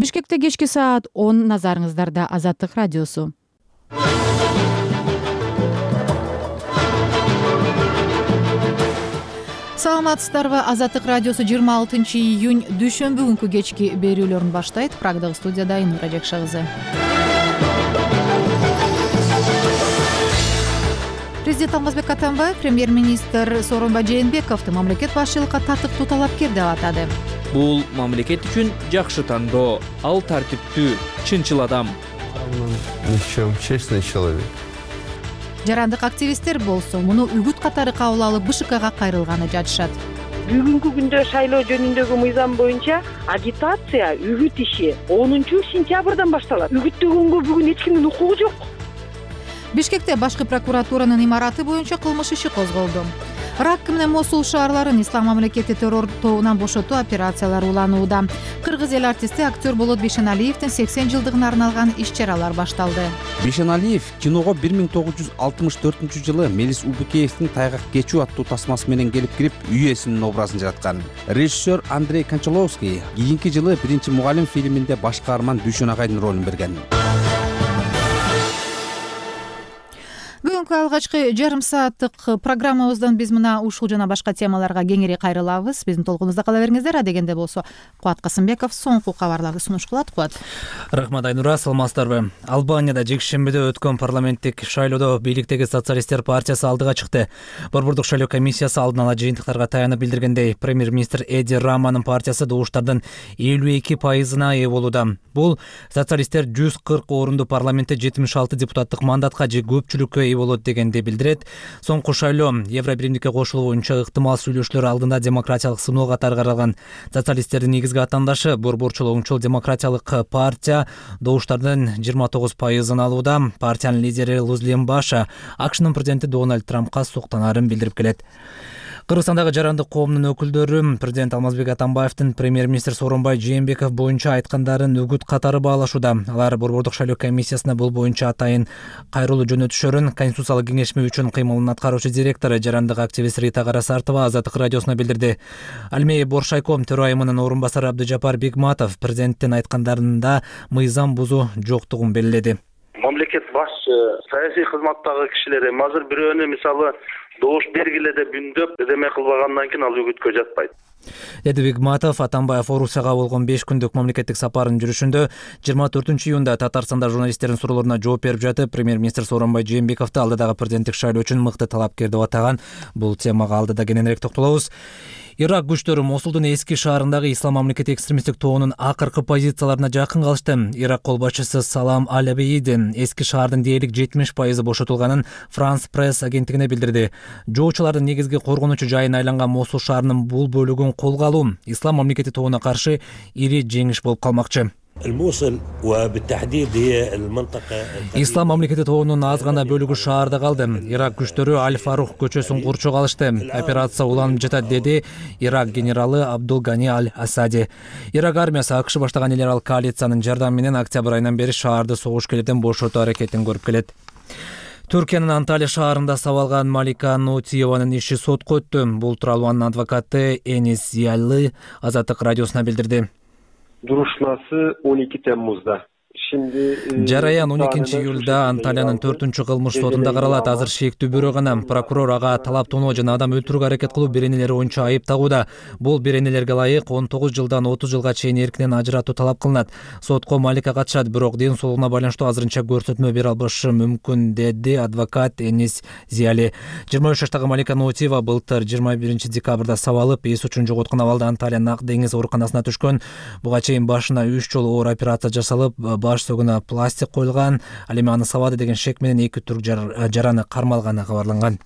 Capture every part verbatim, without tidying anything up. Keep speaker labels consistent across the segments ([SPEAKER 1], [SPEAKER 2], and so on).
[SPEAKER 1] Бишкекте кечки саат он, назарыңыздарда Азаттык радиосу. Саламатсыздарбы? Азаттык радиосу жыйырма алтынчы июнь дүйшөмбү күнкү кечки берүүлөрүн баштайт. Прагдагы студияда Айнура Жакшы. Президент Алмазбек Атамбаев премьер-министр Сооронбай Жээнбековду мамлекет башчылыкка татыктуу талапкер деп атады.
[SPEAKER 2] Бул мамлекет үчүн жакшы тандоо. Ал тартиптүү, чынчыл адам.
[SPEAKER 3] Ничем, честный человек.
[SPEAKER 1] Жарандык активисттер болсо муну үгүт катары кабыл алып БШКга кайрылганы жатышат.
[SPEAKER 4] Бүгүнкү күндө шайлоо жөнүндөгү мыйзам боюнча агитация, үгүт иши онунчу сентябрдан башталат. Үгүттөгөнгө бүгүн эч кимдин укугу жок.
[SPEAKER 1] Бишкекте башкы прокуратуранын имараты боюнча кылмыш иши козголду. Ракка менен Мосул шаарларын ислам мамлекети террор тобунан бошотуу операциялары уланууда. Кыргыз эл артисти актер Болот Бишеналиевдин сексен жылдыгына арналган иш-чаралар башталды.
[SPEAKER 5] Бишеналиев киного бир миң тогуз жүз алтымыш төртүнчү жылы Мелис Убукеевдин Тайгак кечүү аттуу тасмасы менен келип кирип, үй ээсинин образын жараткан. Режиссер Андрей Кончаловский кийинки жылы Биринчи мугалим фильминде баш каарман Дүйшөн агайдын ролун берген.
[SPEAKER 1] Бүгүнкү алгачкы жарым сааттык программабыздан биз мына ушул жана башка темаларга кеңири кайрылабыз. Биздин толкунубузда кала бериңиздер. Адегенде болсо Кубат Касымбеков соңку кабарларды сунуш кылат. Кубат.
[SPEAKER 2] Рахмат Айнура, саламатсыздарбы? Албанияда жекшембиде өткөн парламенттик шайлоодо бийликтеги Социалисттер партиясы алдыга чыкты. Борбордук шайлоо комиссиясы алдын ала жыйынтыктарга таянып билдиргендей, премьер-министр Эди Раманын партиясы добуштардын элүү эки пайызына ээ болууда. Бул социалисттер жүз кырк орунду парламентте жетимиш алты депутаттык мандатка же көпчүлүккө ээ болот дегенди билдирет. Соңку шайлоо Евробиримдикке кошулуу боюнча ыктымал сүйлөшүүлөр алдында демократиялык сыноо катары каралган. Социалисттердин негизги атандашы Борборчул оңчул демократиялык партия добуштардын жыйырма тогуз пайызын алууда. Партиянын лидери Лузлем Баша АКШнын президенти Дональд Трампка суктанаарын билдирип келет. Кыргызстандагы жарандык коомдун өкүлдөрү президент Алмазбек Атамбаевдин премьер-министр Сооронбай Жээнбеков боюнча айткандарын үгүт катары баалашууда. Алар Борбордук шайлоо комиссиясына бул боюнча атайын кайрылуу жөнөтүшөрүн Конституциялык кеңешме үчүн кыймылынын аткаруучу директору жарандык активист Рита Карасартова Азаттык радиосуна билдирди. Алмей Боршайком төрайымынын орун басары Абдыжапар Бигматов президенттин айткандарында мыйзам бузуу жоктугун белгиледи.
[SPEAKER 6] Мамлекет башчы, саясий кызматтагы кишилери азыр бирөөнү мисалы добуш бергиле деп үндөп эдеме кылбагандан кийин ал үгүткө жатпайт,
[SPEAKER 2] деди Бигматов. Атамбаев Орусияга болгон беш күндүк мамлекеттик сапарынын жүрүшүндө жыйырма төртүнчү июнда Татарстанда журналисттердин суроолоруна жооп берип жатып, премьер-министр Сооронбай Жээнбековду алдыдагы президенттик шайлоо үчүн мыкты талапкер деп атаган. Бул темага алдыда кененирээк токтолобуз. Ирак күчтөрү Мосулдун эски шаарындагы ислам мамлекети экстремисттик тобунун акыркы позицияларына жакын калышты. Ирак кол башчысы Салам Аль-Абейдин эски шаардын дээрлик жетимиш пайызы бошотулганын Франс пресс агенттигине билдирди. Жоочулардын негизги коргонучу жайына айланган Мосул шаарынын бул бөлүгүн колго алуу ислам мамлекети тобуна каршы ири жеңиш болуп калмакчы. Ислам мамлекети тобунун аз гана бөлүгү шаарда калды. Ирак күчтөрү Аль-Фарух көчөсүн курчук алышты. Операция уланып жатат, деди Ирак генералы Абдул Гани Аль-Асади. Ирак армиясы АКШ баштаган эле коалициянын жардамы менен октябрь айынан бери шаарды согушкерлерден бошотуу аракетин көрүп келет. Түркиянын Анталия шаарында сабалган Малика Нутиеванын иши сотко өттү. Бул тууралуу анын адвокаты Энис Зиялы Азаттык радиосуна билдирди.
[SPEAKER 7] Duruşması on iki Temmuz'da.
[SPEAKER 2] Жараян он экинчи июлда Анталиянын төртүнчү кылмыш сотунда каралат. Азыр шектүү бирөө гана. Прокурор ага талап тоноо жана адам өлтүрүүгө аракет кылуу беренелери боюнча айып тагууда. Бул беренелерге ылайык он тогуз жылдан отуз жылга чейин эркинен ажыратуу талап кылынат. Сотко Малика катышат, бирок ден соолугуна байланыштуу азырынча көрсөтмө бере албашы мүмкүн, деди адвокат Энис Зияли. жыйырма үч жаштагы Малика Нутиева былтыр жыйырма биринчи декабрда сабалып, эс учун жоготкон абалда Анталиянын Ак деңиз ооруканасына түшкөн. Буга чейин башына үч жолу оор операция жасалып, баш сөгүнө пластик коюлган. Ал эми аны сабады деген шек менен эки түрк жараны кармалганы кабарланган.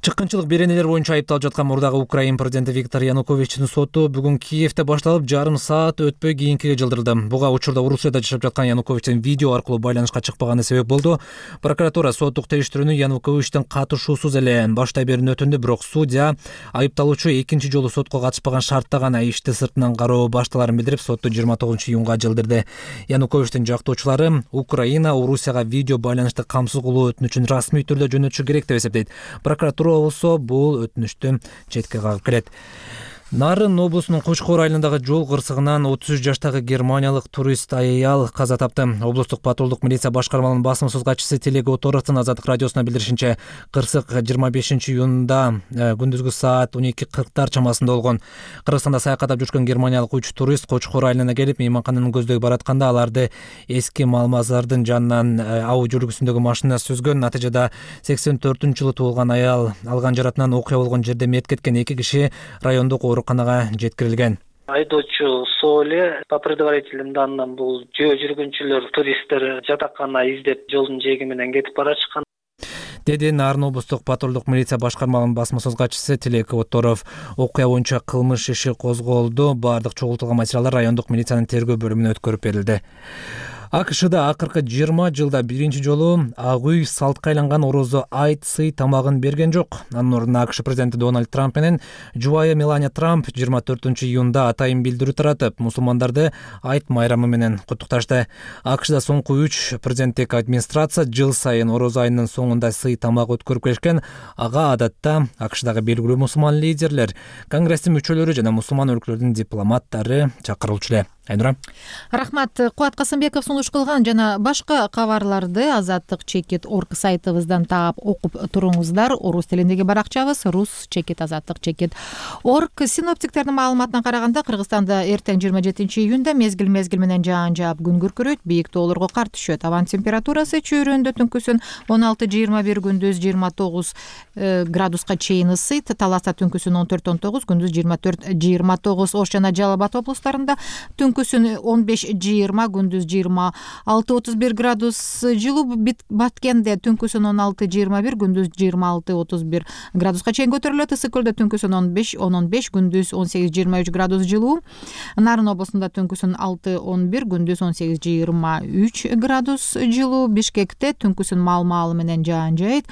[SPEAKER 2] Чыккынчылык беренелер боюнча айыпталып жаткан мурдагы Украин президенти Виктор Януковичтин соту бүгүн Киевде башталып, жарым саат өтпөй кийинкиге жылдырылды. Буга учурда Орусияда жашап жаткан Януковичтин видео аркылуу байланышка чыкпаганы себеп болду. Прокуратура соттук териштирүүнү Януковичтин катышуусуз эле баштай берүүнү өтүндү, бирок судья айыпталуучу экинчи жолу сотко катышпаган шартта гана ишти сыртынан кароо башталарын билдирип, сотту жыйырма тогузунчу июнга жылдырды. Януковичтин жактоочулары Украина Орусияга видео байланышты камсыз кылуу өтүнүчүн расмий түрдө жөнөтүшү керек деп эсептейт. Прокуратура болсо бул өтүнүштү четке кагып келет. Нарын облусунун Кочкор айылындагы жол кырсыгынан отуз үч жаштагы германиялык турист аял каза тапты. Облустук патрулдук милиция башкармалынын басым катчысы Тилек Оторовдун Азаттык радиосуна билдиришинче, кырсык жыйырма бешинчи июнда күндүзгү саат он эки кырктар чамасында болгон. Кыргызстанда саякаттап жүргөн германиялык үч турист Кочкор айылына келип, мейманкананы көздөй баратканда аларды эски Малмазардын жанынан аудио жүргүсүндөгү машина сүзгөн. Натыйжада сексен төртүнчү жылы туулган аял алган жаратынан окуя болгон жерде мерт кеткен. Эки киши райондук ооруканага жеткирилген.
[SPEAKER 8] Айдоочу Соле по предварительным данным бул жөө жүргүнчүлөр, туристтер жатакана издеп жолдун жээги менен кетип баратышкан,
[SPEAKER 2] деди Нарын облустук патрулдук милиция башкармалынын басма сөз катчысы Тилек Оторов. Окуя боюнча кылмыш иши козголду. Бардык чогултулган материалдар райондук милициянын тергөө бөлүмүнө өткөрүп берилди. АКШда акыркы жыйырма жылда биринчи жолу ак үй салтка айланган орозо айт сый тамагын берген жок. Анын ордуна АКШ президенти Дональд Трамп менен жубайы Мелания Трамп жыйырма төртүнчү июнда атайын билдирүү таратып, мусулмандарды айт майрамы менен куттукташты. АКШда соңку үч президенттик администрация жыл сайын орозо айынын соңунда сый тамак өткөрүп келишкен. Ага адатта АКШдагы белгилүү мусулман лидерлер, конгресстин мүчөлөрү жана мусулман өлкөлөрдүн дипломаттары чакырылчу эле. Айнура.
[SPEAKER 1] Рахмат. Кубат Касымбеков сунуш кылган жана башка кабарларды Азаттык чекит орг сайтыбыздан таап окуп туруңуздар. Орус тилиндеги баракчабыз рус чекит азаттык чекит орг. Синоптиктердин маалыматына караганда, Кыргызстанда эртең жыйырма жетинчи июнда мезгил мезгил менен жаан жаап күн күркүрөйт, бийик тоолорго кар түшөт. Абан температурасы чөйрөндө түнкүсүн он алты жыйырма бир, күндүз жыйырма тогуз градуска чейин ысыйт. Таласта түнкүсүн он төрт он тогуз, күндүз жыйырма төрт жыйырма тогуз. Ош жана Жалал Абад облустарында түнкүсүн он беш жыйырма, күндүз жыйырма алты отуз бир градус жылуу. Баткенде түнкүсүн он алты жыйырма бир, күндүз жыйырма алты отуз бир градуска чейин көтөрүлөт. Ысык көлдө түнкүсүн он беш он он беш, күндүз он сегиз жыйырма үч градус жылуу. Нарын облусунда түнкүсүн алты он бир, күндүз он сегиз жыйырма үч градус жылуу. Бишкекте түнкүсүн маал-маалы менен жаан жайыт.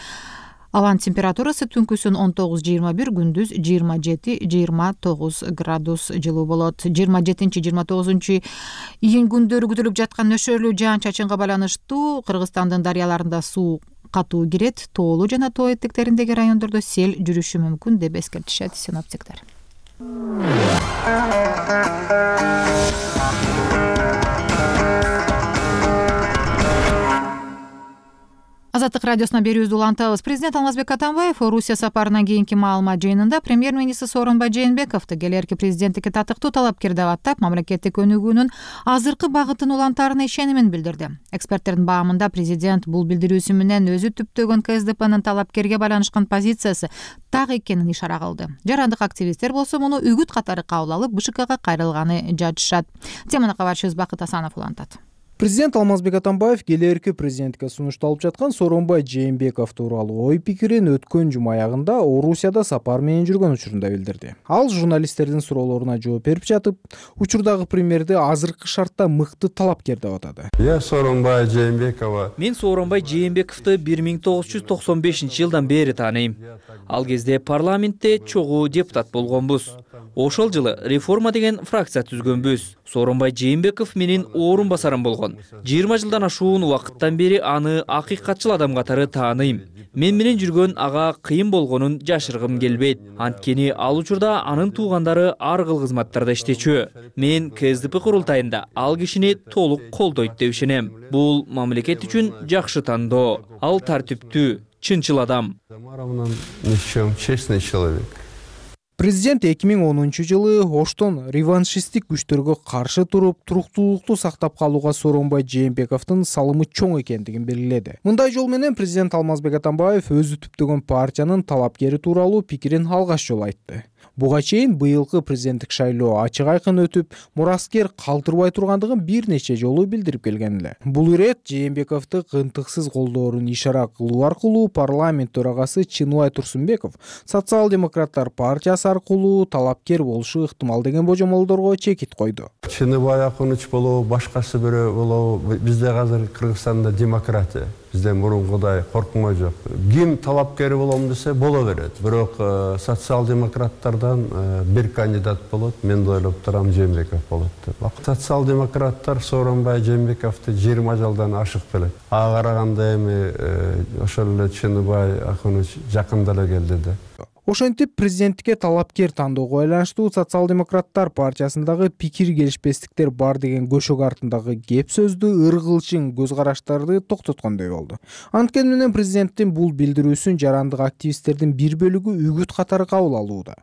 [SPEAKER 1] Аван температурасы түнкүсүн он тогуз жыйырма бир, күндүз жыйырма жети жыйырма тогуз градус жылуу болот. жыйырма жетинчи жыйырма тогузунчу июнь күндөрү күтүлүп жаткан нөшөрлүү жаан чачынга байланыштуу Кыргызстандын дарыяларында суу катуу кирет, тоолуу жана тоо этектериндеги райондордо сел жүрүшү мүмкүн деп эскертишет синоптиктер. Азаттык радиосуна берүүбүздү улантабыз. Президент Алмазбек Атамбаев Орусия сапарынан кийинки маалымат жыйынында премьер-министр Сооронбай Жээнбековду келерки президенттикке татыктуу талапкер деп аттап, мамлекеттик өнүгүүнүн азыркы багытын улантаарына ишенимин билдирди. Эксперттердин баамында президент бул билдирүүсү менен өзү түптөгөн КСДПнын талапкерге байланышкан позициясы так экенин ишара кылды. Жарандык активисттер болсо муну үгүт катары кабыл алып, БШКга кайрылганы жатышат. Теманы кабарчыбыз Бакыт Асанов улантат.
[SPEAKER 9] Президент Алмазбек Атамбаев келерки президентке сунушталып жаткан Сооронбай Жээнбеков тууралуу ой пикирин өткөн жума аягында Орусияда сапар менен жүргөн учурунда билдирди. Ал журналисттердин суроолоруна жооп берип жатып, учурдагы премьерди азыркы шартта мыкты талапкер деп атады.
[SPEAKER 3] Я Сооронбай Жээнбекова.
[SPEAKER 10] Мен Сооронбай Жээнбековду бир миң тогуз жүз токсон бешинчи жылдан бери тааныйм. Ал кезде парламентте чогуу депутат болгонбуз. Ошол жылы реформа деген фракция түзгөнбүз. Сооронбай Жээнбеков менин орун басарым болгон. жыйырма жылдан ашуун убакыттан бери аны акыйкатчыл адам катары тааныйм. Мен менен жүргөн ага кыйын болгонун жашыргым келбейт. Анткени ал учурда анын туугандары ар кыл кызматтарда иштечү. Мен КСДП курултайында ал кишини толук колдойт деп ишенем. Бул мамлекет үчүн жакшы тандоо. Ал тартиптүү, чынчыл адам.
[SPEAKER 3] Честный человек.
[SPEAKER 9] Президент эки миң онунчу жылы Оштон реваншисттик күчтөргө каршы туруп, туруктуулукту сактап калууга Сооронбай Жээнбековдун салымы чоң экендигин белгиледи. Мындай жол менен президент Алмазбек Атамбаев өзү түптөгөн партиянын талапкери тууралуу пикирин алгач жолу айтты. Буга чейин быйылкы президенттик шайлоо ачык айкын өтүп, мураскер калтырбай тургандыгын бир нече жолу билдирип келген эле. Бул ирет Жээнбековду кынтыксыз колдоорун ишара кылуу аркылуу парламент төрагасы Чыныбай Турсунбеков социал-демократтар партиясы аркылуу талапкер болушу ыктымал деген божомолдорго чекит койду.
[SPEAKER 3] Чыныбай Акуныч болобу, башкасы бирөө болобу, бизде азыр Кыргызстанда демократия. Bizde murunguday korkma yok. Kim talapkeri bolom dese bola verет. Бирок социал-демократтардан bir кандидат болот. Мен ойлоп турам Жээнбеков болот деп. Социал-демократтар Сооронбай Жээнбековду жыйырма жылдан ашык белет. Ага караганда эми ошол эле Чыныбай Акуныч жакында эле келди да.
[SPEAKER 9] Ошентип президенттикке талапкер тандоого байланыштуу социал-демократтар партиясындагы пикир келишпестиктер бар деген көшөк артындагы кеп сөздү, ыргылчың көз караштарды токтоткондой болду. Анткени менен президенттин бул билдирүүсүн жарандык активисттердин бир бөлүгү үгүт катары кабыл алууда.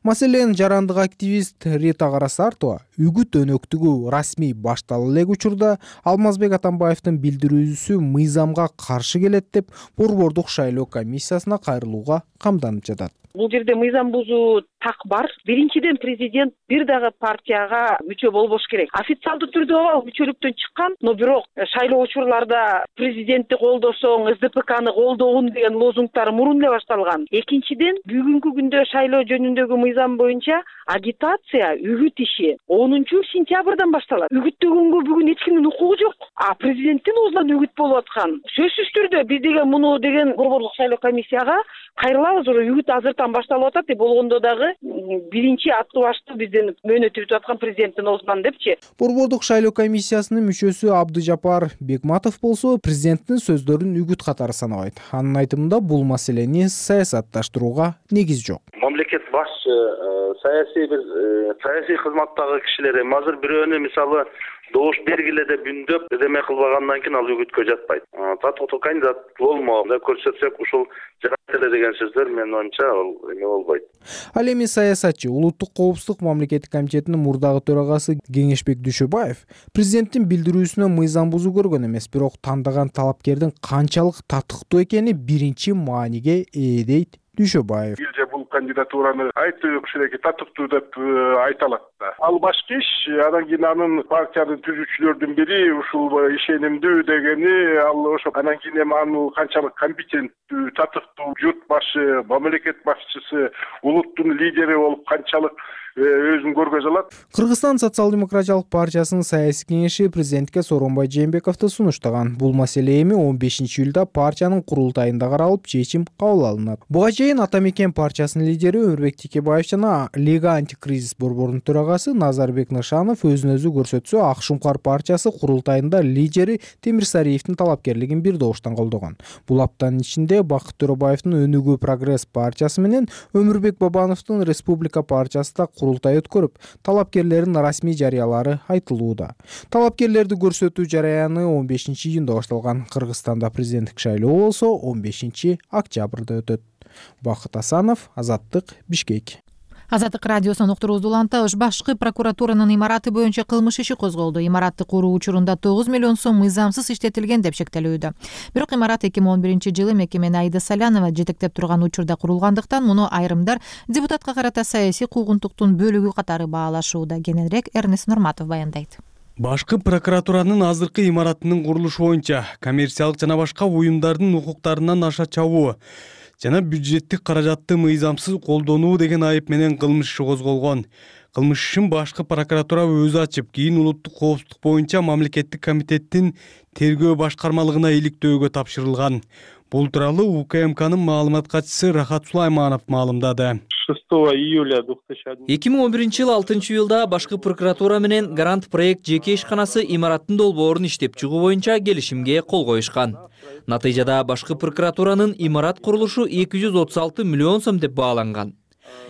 [SPEAKER 9] Маселен, жарандык активист Рита Карасартова үгүт өнөктүгү расмий баштала элек учурда Алмазбек Атамбаевдин билдирүүсү мыйзамга каршы келет деп Борбордук шайлоо комиссиясына кайрылууга камданып жатат.
[SPEAKER 4] Бул жерде мыйзам бузуу так бар. Биринчиден, президент бир дагы партияга мүчө болбош керек. Официалдуу түрдө ооба мүчөлүктөн чыккан, но бирок шайлоо учурларда президентти колдосоң, эс дэ пэ каны колдогун деген лозунгдар мурун эле башталган. Экинчиден, бүгүнкү күндө шайлоо жөнүндөгү мыйзам боюнча агитация, үгүт иши онунчу сентябрдан башталат. Үгүттөгөнгө бүгүн эч кимдин укугу жок. А президенттин оозунан үгүт болуп аткан. Сөзсүз түрдө биз деген муну деген Борбордук шайлоо комиссияга кайрылабыз, үгүт азыртан башталып атат деп болгондо дагы биринчи аттуу башты биздин мөөнөтү бүтүп аткан президенттин оозунан депчи.
[SPEAKER 9] Борбордук шайлоо комиссиясынын мүчөсү Абдыжапар Бекматов болсо президенттин сөздөрүн үгүт катары санабайт. Анын айтымында бул маселени саясатташтырууга негиз жок.
[SPEAKER 6] Мамлекет башчы саясий бир саясий кызматтагы кишилер эми азыр бирөөнү мисалы добуш бергиле деп үндөп эме кылбагандан кийин ал үгүткө жатпайт. Татыктуу кандидат болмо деп көрсөтсөк ушул жарат эле деген сөздөр менин оюмча ал эме болбойт.
[SPEAKER 9] Ал эми саясатчы, улуттук коопсуздук мамлекеттик комитетинин мурдагы төрагасы Кеңешбек Дүйшөбаев президенттин билдирүүсүнө мыйзам бузуу көргөн эмес, бирок тандаган талапкердин канчалык татыктуу экени биринчи мааниге ээ дейт Дүйшөбаев.
[SPEAKER 11] Бирже бул кандидатураны айтуу кишилерге татыктуу деп айта алат да. Ал башкы иш, анан кийин анын партияны түзүүчүлөрдүн бири ушул ишенимдүү дегени ал ошо анан кийин эми анын канчалык компетенттүү, татыктуу журт башы, мамлекет башчысы, улуттун лидери болуп канчалык өзүн көргөзө алат.
[SPEAKER 9] Кыргызстан социал-демократиялык партиясынын саясий кеңеши президентке Сооронбай Жээнбековду сунуштаган. Бул маселе эми он бешинчи июлда партиянын курултайында каралып, чечим кабыл алынат. Буга чейин Ата Мекен партиясынын лидери Өмүрбек Текебаев жана Лига антикризис борборунун төрагасы Назарбек Нышанов өзүн өзү көрсөтсө, Ак Шуңкар партиясы курултайында лидери Темирсариевдин талапкерлигин бир добуштан колдогон. Бул аптанын ичинде Бакыт Төрөбаевдин Өнүгүү Прогресс партиясы менен Өмүрбек Бабановдун Республика партиясы да курултай өткөрүп, талапкерлердин расмий жарыялары айтылууда. Талапкерлерди көрсөтүү жараяны он бешинчи июнда башталган. Кыргызстанда президенттик шайлоо болсо он бешинчи октябрда өтөт. Бакыт Асанов, Азаттык, Бишкек.
[SPEAKER 1] Азаттык радиосунун уктуруусу улантабыз. Башкы прокуратуранын имараты боюнча кылмыш иши козголду. Имаратты куруу учурунда тогуз миллион сом мыйзамсыз иштетилген деп шектелүүдө. Бирок имарат эки миң он биринчи жылы мекемени Аида Салянова жетектеп турган учурда курулгандыктан муну айрымдар депутатка карата саясий куугунтуктун бөлүгү катары баалашууда. Кененирээк Эрнест Нурматов баяндайт.
[SPEAKER 12] Башкы прокуратуранын азыркы имаратынын курулушу боюнча коммерциялык жана башка уюмдардын укуктарынан аша чабуу жана бюджеттик каражатты мыйзамсыз колдонуу деген айып менен кылмыш иши козголгон. Кылмыш ишин башкы прокуратура өзү ачып, кийин улуттук коопсуздук боюнча мамлекеттик комитеттин тергөө башкармалыгына иликтөөгө тапшырылган. Бул тууралуу У К М К'нын маалымат катчысы Рахат Сулайманов маалымдады.
[SPEAKER 7] шестого июля две тысячи одиннадцатого
[SPEAKER 10] эки миң он биринчи жылы алтынчы июлда башкы прокуратура менен Гарант проект жеке ишканасы имараттын долбоорун иштеп чыгуу боюнча келишимге кол коюшкан. Натыйжада башкы прокуратуранын имарат курулушу эки жүз отуз алты миллион сом деп бааланган.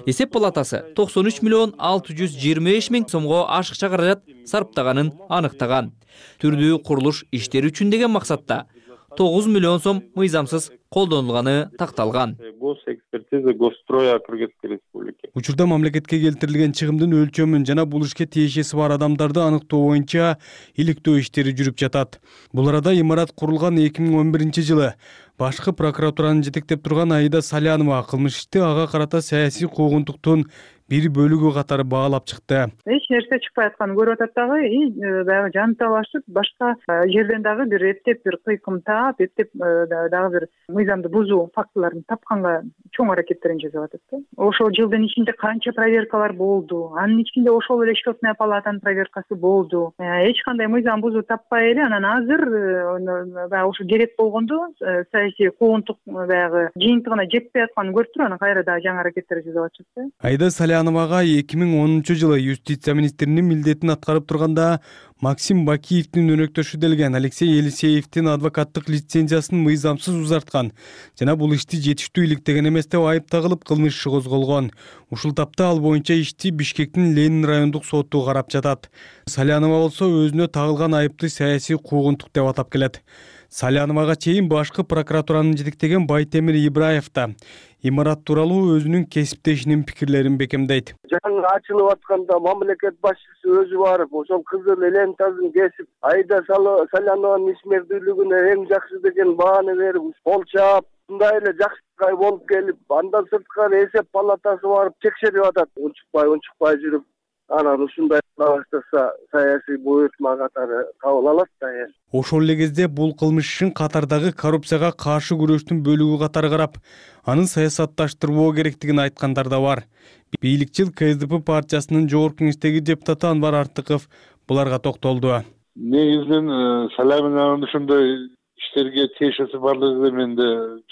[SPEAKER 10] Эсеп палатасы токсон үч миллион алты жүз жыйырма беш миң сомго ашыкча каражат сарптаганын аныктаган. Түрдүү курулуш иштери үчүн деген максатта тогуз миллион сом мыйзамсыз колдонулганы такталган.
[SPEAKER 7] Госэкспертиза Госстроя Кыргызской Республики.
[SPEAKER 12] Учурда мамлекетке келтирилген чыгымдын өлчөмүн жана бул ишке тиешеси бар адамдарды аныктоо боюнча иликтөө иштери жүрүп жатат. Бул арада имарат курулган эки миң он биринчи жылы башкы прокуратураны жетектеп турган Аида Салянова кылмыш ишти ага карата саясий куугунтуктун бир бөлүгү катары баалап чыкты.
[SPEAKER 13] Эч нерсе чыкпай атканын көрүп атат дагы, баягы жанталашып, башка жерден дагы бир эптеп бир кыйкым таап, эптеп дагы бир мыйзамды бузуу фактыларын тапканга чоң аракеттерин жасап атат да. Ошол жылдын ичинде канча проверкалар болду, анын ичинде ошол эле счетная палатанын проверкасы болду. Эч кандай мыйзам бузуу таппай эле анан азыр баягы ошо керек болгондо саясий куугунтук баягы жыйынтыгына жетпей атканын көрүп туруп, анан кайра дагы жаңы аракеттер жасап атышат да.
[SPEAKER 12] Аида Салянова Саляновага эки миң онунчу жылы юстиция министринин милдетин аткарып турганда Максим Бакиевдин өнөктөшү делген Алексей Елисеевдин адвокаттык лицензиясын мыйзамсыз узарткан жана бул ишти жетиштүү иликтеген эмес деп айып тагылып кылмыш иши козголгон. Ушул тапта ал боюнча ишти Бишкектин Ленин райондук соту карап жатат. Салянова болсо өзүнө тагылган айыпты саясий куугунтук деп атап келет. Саляновага чейин башкы прокуратуранын жетектеген Байтемир Ибраев да имарат тууралуу өзүнүн кесиптешинин пикирлерин бекемдейт.
[SPEAKER 14] Жаңы ачылып атканда мамлекет башчысы өзү барып, ошол кызыл лентасын кесип, Айда Салянованын ишмердүүлүгүнө эң жакшы деген бааны берип, кол чаап, мындай эле жакшы болуп келип, андан сырткары эсеп палатасы барып текшерип атат. Унчукпай, унчукпай жүрүп, анан ушундай баштаса саясий буйртма катары кабыл алат да.
[SPEAKER 12] Ошол эле кезде бул кылмыш ишин катардагы коррупцияга каршы күрөштүн бөлүгү катары карап, анын саясатташтырбоо керектигин айткандар да бар. Бийликчил КСДП партиясынын жогорку кеңештеги депутаты Анвар Артыков буларга токтолду.
[SPEAKER 15] Негизинен Салянованын ушундай иштерге тиешеси барлыгы менде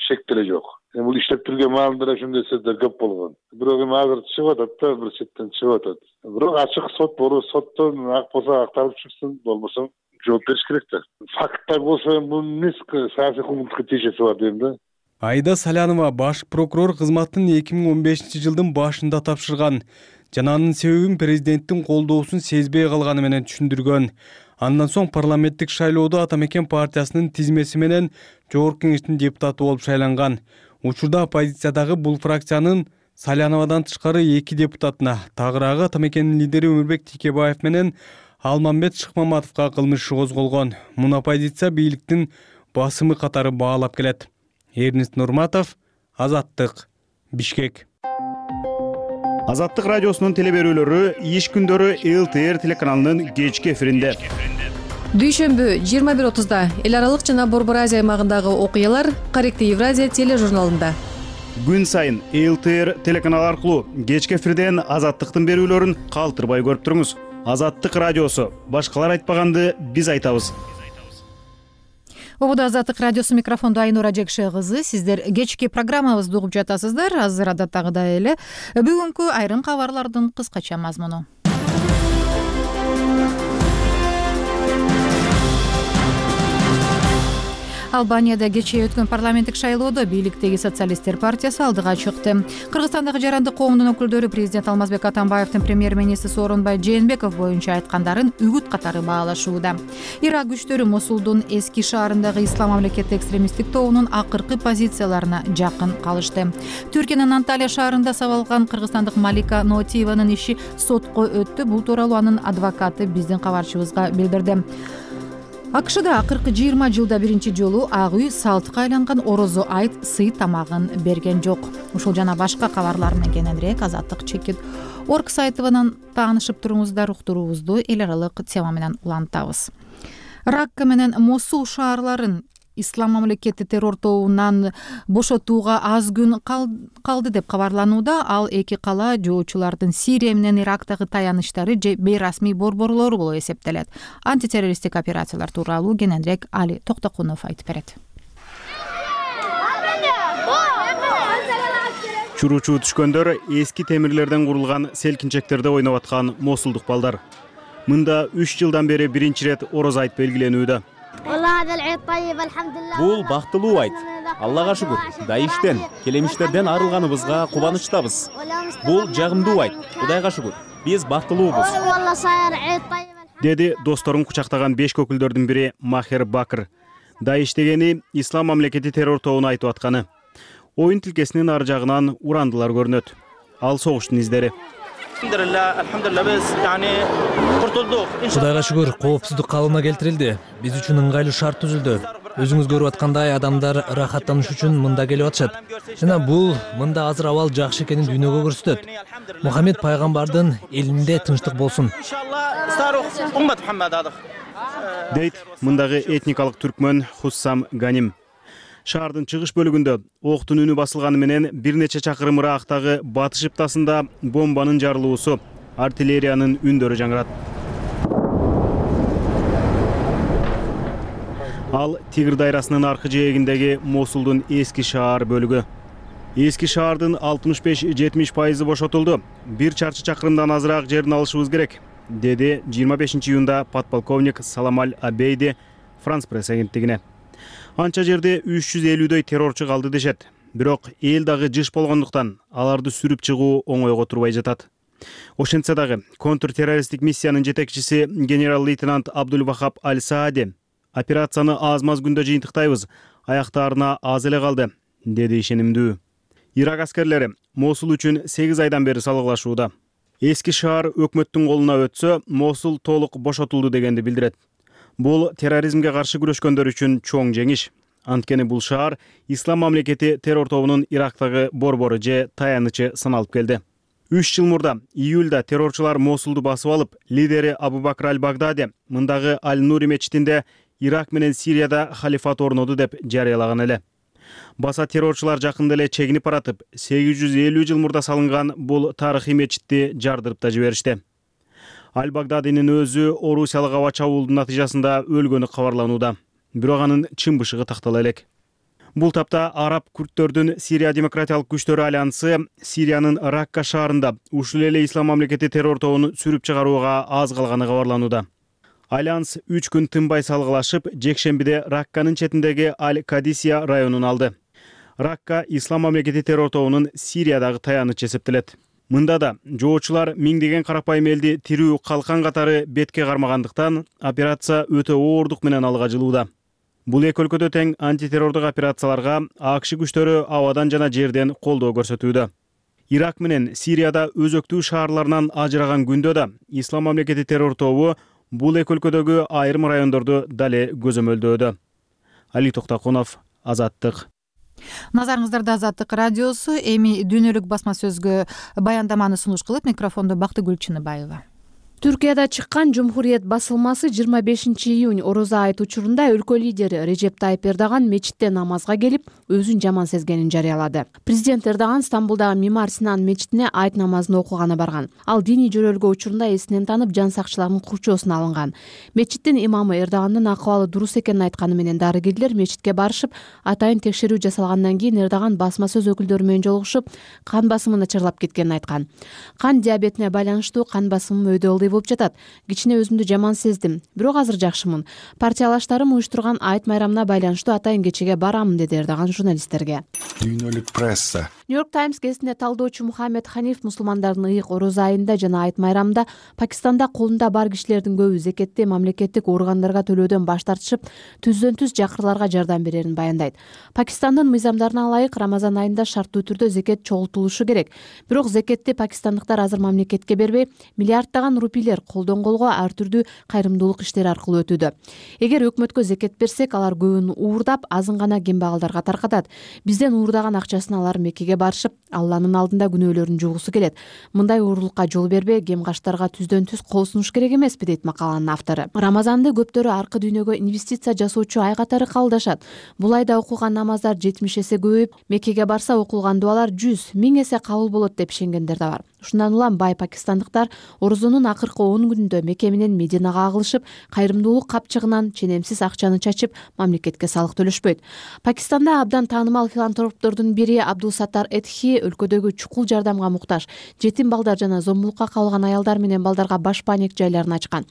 [SPEAKER 15] шек деле жок. Бул иштеп жүргөн маалында ушундай сөздөр көп болгон. Бирок эми азыр чыгып атат да, бир четтен чыгып атат. Бирок ачык сот боло, соттон ак болсо акталып чыксын, болбосо жооп бериш керек да. Факттар болсо бул эмес саясий куугунтукка тиешеси бар дейм да.
[SPEAKER 12] Айда Салянова баш прокурор кызматын эки миң он бешинчи жылдын башында тапшырган жана анын себебин президенттин колдоосун сезбей калганы менен түшүндүргөн. Андан соң парламенттик шайлоодо Ата Мекен партиясынын тизмеси менен жогорку кеңештин депутаты болуп шайланган. Учурда оппозициядагы бул фракциянын Саляновадан тышкары эки депутатына, тагыраагы Ата Мекенин лидери Өмүрбек Тикебаев менен Алмамбет Шыкмаматовго кылмыш иши козголгон. Муну оппозиция бийликтин басымы катары баалап келет. Эрнест Нурматов, Азаттык, Бишкек.
[SPEAKER 16] Азаттык радиосунун телеберүүлөрү иш күндөрү эл тэ эр телеканалынын кечки эфиринде.
[SPEAKER 17] Дүйшөмбү жыйырма бир отузда эл аралык жана Борбор Азия аймагындагы окуялар Корректив Евразия тележурналында.
[SPEAKER 16] Күн сайын эл тэ эр телеканалы аркылуу кечки эфирден Азаттыктын берүүлөрүн калтырбай көрүп туруңуз. Азаттык радиосу, башкалар айтпаганды биз айтабыз.
[SPEAKER 1] Обуда Азаттык радиосу, микрофондо Айнура Жекше кызы. Сиздер кечки программабызды угуп жатасыздар. Азыр адаттагыдай эле бүгүнкү айрым кабарлардын кыскача мазмуну. Албанияда кечээ өткөн парламенттик шайлоодо бийликтеги социалисттер партиясы алдыга чыкты. Кыргызстандагы жарандык коомдун өкүлдөрү президент Алмазбек Атамбаевдин премьер-министри Сооронбай Жээнбеков боюнча айткандарын үгүт катары баалашууда. Ирак күчтөрү Мосулдун эски шаарындагы Ислам мамлекети экстремисттик тобунун акыркы позицияларына жакын калышты. Түркиянын Анталия шаарында сабалган кыргызстандык Малика Ноотиеванын иши сотко өттү. Бул тууралуу анын адвокаты биздин кабарчыбызга билдирди. АКШда акыркы жыйырма жылда биринчи жолу Ак үй салтка айланган орозо айт сый тамагын берген жок. Ушул жана башка кабарлар менен кененирээк Азаттык чекит орг сайтынан таанышып туруңуздар. Уктуруубузду эл аралык тема менен улантабыз. Ракка менен Мосул шаарларын Ислам мамлекети террор тобунан бошотууга аз күн калды деп кабарланууда. Ал эки кала жоочулардын Сирия менен Ирактагы таяныштары же бейрасмий борборлору болуп эсептелет. Антитеррористтик операциялар тууралуу кененирээк Али Токтокунов айтып берет.
[SPEAKER 16] Чуручу түшкөндөр эски темирлерден курулган селкинчектерде ойноп аткан мосулдук балдар. Мында үч жылдан бери биринчи ирет орозо айт белгиленүүдө.
[SPEAKER 18] Бул бактылуу айт. Аллага шүгүр. Даиштен, келемиштерден арылганыбызга кубанычтабыз. Бул жагымдуу айт. Кудайга шүгүр. Биз бактылуубуз.
[SPEAKER 16] Деди досторун кучактаган беш өкүлдөрдүн бири Махер Бакыр. Даиш дегени Ислам мамлекети террор тобуна айтып атканы. Оюн тилкесинин ар жагынан урандылар көрүнөт. Ал согуштун издери.
[SPEAKER 2] Кудайга шүгүр, коопсуздук калыбына келтирилди. Биз үчүн ыңгайлуу шарт түзүлдү. Өзүңүз көрүп аткандай адамдар ырахаттаныш үчүн мында келип атышат. Жана бул мында азыр абал жакшы экенин дүйнөгө көрсөтөт. Мухаммед пайгамбардын элинде тынчтык болсун.
[SPEAKER 16] Дейт мындагы этникалык түркмөн Хуссам Ганим. Шаардын чыгыш бөлүгүндө октун үнү басылганы менен бир нече чакырым ырактагы батыш ыптасында бомбанын жарылуусу, артиллериянын үндөрү жаңырат. Ал Тигр дайрасынын аркы жээгиндеги Мосулдун эски шаар бөлүгү. Эски шаардын алтымыш беш жетимиш пайызы бошотулду. Бир чарчы чакырымдан азыраак жерин алышыбыз керек, деди жыйырма бешинчи июнда подполковник Саламаль Абейди Франс пресс агенттигине. Анча жерде үч жүз элүүдөй террорчу калды дешет. Бирок эл дагы жыш болгондуктан аларды сүрүп чыгуу оңойго турбай жатат. Ошентсе дагы контртеррористтик миссиянын жетекчиси генерал-лейтенант Абдул-Вахаб Аль-Саади операцияны аз-маз күндө жыйынтыктайбыз, аяктаарына аз эле калды, деди ишенимдүү. Ирак аскерлери Мосул үчүн сегиз айдан бери салгылашууда. Эски шаар өкмөттүн колуна өтсө, Мосул толук бошотулду дегенди билдирет. Бул терроризмге каршы күрөшкөндөр үчүн чоң жеңиш. Анткени бул шаар Ислам мамлекети террор тобунун Ирактагы борбору же таянычы саналып келди. Үч жыл мурда июлда террорчулар Мосулду басып алып, лидери Абу-Бакр аль-Багдadi мындагы Аль-Нури мечитинде Ирак менен Сирияда халифат орноду деп жарыялаган эле. Баса террорчулар жакында эле чегинип баратып, сегиз жүз элүү жыл мурда салынган бул тарыхый мечитти жардырып да жиберишти. Аль-Багдадинин өзү орусиялык аба чабуулдун натыйжасында өлгөнү кабарланууда. Бирок анын чын бышыгы тактала элек. Бул тапта араб күрттөрдүн Сирия демократиялык күчтөрү альянсы Сириянын Ракка шаарында ушул эле Ислам мамлекети террор тобун сүрүп чыгарууга аз калганы кабарланууда. Альянс үч күн тынбай салгылашып, жекшембиде Ракканын четиндеги Аль-Кадисия районун алды. Ракка Ислам мамлекети террор тобунун Сириядагы таянычы эсептелет. Мында да жоочулар миңдеген карапайым элди тирүү калкан катары бетке кармагандыктан операция өтө оордук менен алга жылууда. Бул эки өлкөдө тең антитеррордук операцияларга АКШ күчтөрү абадан жана жерден колдоо көрсөтүүдө. Ирак менен Сирияда өзөктүү шаарларынан ажыраган күндө да Ислам мамлекети террор тобу бул эки өлкөдөгү айрым райондорду дале көзөмөлдөөдө. Али Токтокунов, Азаттык.
[SPEAKER 1] Назарыңыздарда Азаттык радиосу. Эми дүйнөлүк басма сөзгө баяндаманы сунуш кылып, микрофондо Бактыгүл Чыныбаева.
[SPEAKER 19] Түркияда чыккан Жумхуриет басылмасы жыйырма бешинчи июнь ороза айт учурунда өлкө лидери Режеп Тайып Эрдоган мечитте намазга келип, өзүн жаман сезгенин жарыялады. Президент Эрдоган Стамбулдагы Мимар Синан мечитине айт намазын окуганы барган. Ал диний жөрөлгө учурунда эсинен танып, жан сакчылардын курчоосуна алынган. Мечиттин имамы Эрдогандын акыбалы дурус экенин айтканы менен дарыгерлер мечитке барышып, атайын текшерүү жасалгандан кийин Эрдоган басма сөз өкүлдөрү менен жолугушуп, кан басымы начарлап кеткенин айткан. Кан диабетине байланыштуу кан басымым өйдө болуп жатат. Кичине өзүмдү жаман сездим, бирок азыр жакшымын. Партиялаштарым уюштурган айт майрамына байланыштуу атайын кечеге барамын, деди Эрдоган журналисттерге.
[SPEAKER 20] Дүйнөлүк пресса.
[SPEAKER 19] Нью-Йорк Таймс гезитине талдоочу Мухаммед Ханиф мусулмандардын ыйык ороза айында жана айт майрамында Пакистанда колунда бар кишилердин көбү зекетти мамлекеттик органдарга төлөөдөн баш тартышып, түздөн түз жакырларга жардам берерин баяндайт. Пакистандын мыйзамдарына ылайык Рамазан айында шарттуу түрдө зекет чогултулушу керек. Бирок зекетти пакистандыктар азыр мамлекетке бербей, миллиарддаган рупийлер колдон колго ар түрдүү кайрымдуулук иштери аркылуу өтүүдө. Эгер өкмөткө зекет берсек, алар көбүн уурдап, азын гана кембагалдарга таркатат. Бизден уурдаган акчасын алар Меккеге барышып, Алланын алдында күнөөлөрүн жугусу келет. Мындай уурулукка жол бербей, кемгаштарга түздөн түз кол сунуш керек эмеспи, дейт макаланын автору. Рамазанды көптөрү аркы дүйнөгө инвестиция жасоочу ай катары кабылдашат. Бул айда окулган намаздар жетимиш эсе көбөйүп, Меккеге барса окулган дуалар жүз, миң эсе кабыл болот деп ишенгендер да бар. Ушундан улам бай пакистандыктар орозонун акыркы он күнүндө Мекке менен Мединага агылышып, кайрымдуулук капчыгынан ченемсиз акчаны чачып, мамлекетке салык төлөшпөйт. Пакистанда абдан таанымал филантроптордун бири Абдул Саттар Этхи өлкөдөгү чукул жардамга муктаж жетим балдар жана зомбулукка кабылган аялдар менен балдарга баш паник жайларын ачкан.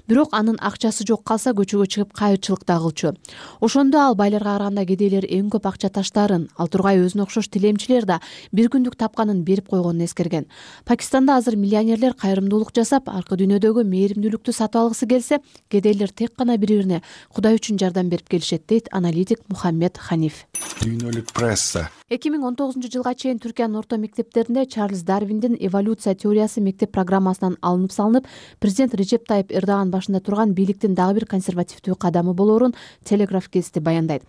[SPEAKER 19] Бирок анын акчасы жок калса көчөгө чыгып кайырчылыкта кылчу. Ошондо ал байларга караганда кедейлер эң көп акча таштаарын, ал тургай өзүнө окшош тилемчилер да бир күндүк тапканын берип койгонун эскерген. Пакистанда азыр миллионерлер кайрымдуулук жасап, аркы дүйнөдөгү мээримдүүлүктү сатып алгысы келсе, кедейлер тек гана бири-бирине Кудай үчүн жардам берип келишет, дейт аналитик Мухаммед Ханиф.
[SPEAKER 20] Дүйнөлүк пресса.
[SPEAKER 19] эки миң он тогузунчу жылга чейин Түркиянын орто мектептеринде Чарльз Дарвиндин эволюция теориясы мектеп программасынан алынып салынып, президент Режеп Тайып Эрдоган башында турган бийликтин дагы бир консервативдүү кадамы болоорун Телеграф гезити баяндайт.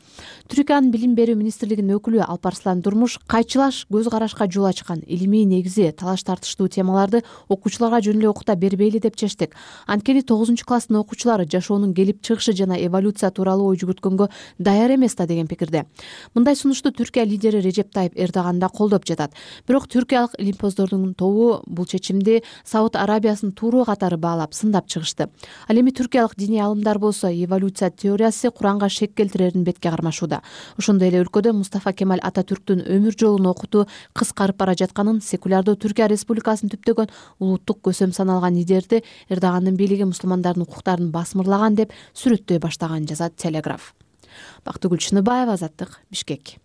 [SPEAKER 19] Түркиянын билим берүү министрлигинин өкүлү Алпарслан Турмуш кайчылаш көз карашка жол ачкан, илимий негизи, талаш тартыштуу темаларды окуучуларга жөн эле окута бербейли деп чечтик. Анткени тогузунчу класстын окуучулары жашоонун келип чыгышы жана эволюция тууралуу ой жүгүрткөнгө даяр эмес да, деген пикирде. Мындай сунушту Түркия лидери Режеп Тайып Эрдоган да колдоп жатат. Бирок түркиялык илимпоздордун тобу бул чечимди Сауд Арабиясынын туру катары баалап сындап чыгышты. Ал эми түркиялык диний алымдар болсо эволюция теориясы Куранга шек келтирерин бетке кармашууда. Ошондой эле өлкөдө Мустафа Кемаль Ататүрктүн өмүр жолун окутуу кыскарып бара жатканын, секулярдуу Түркия Республикасын түптөгөн улуттук көсөм саналган лидерди Эрдогандын бийлиги мусулмандардын укуктарын басмырлаган деп сүрөттөй баштаган, жазат Телеграф. Бактыгүл Чыныбаева, Азаттык, Бишкек.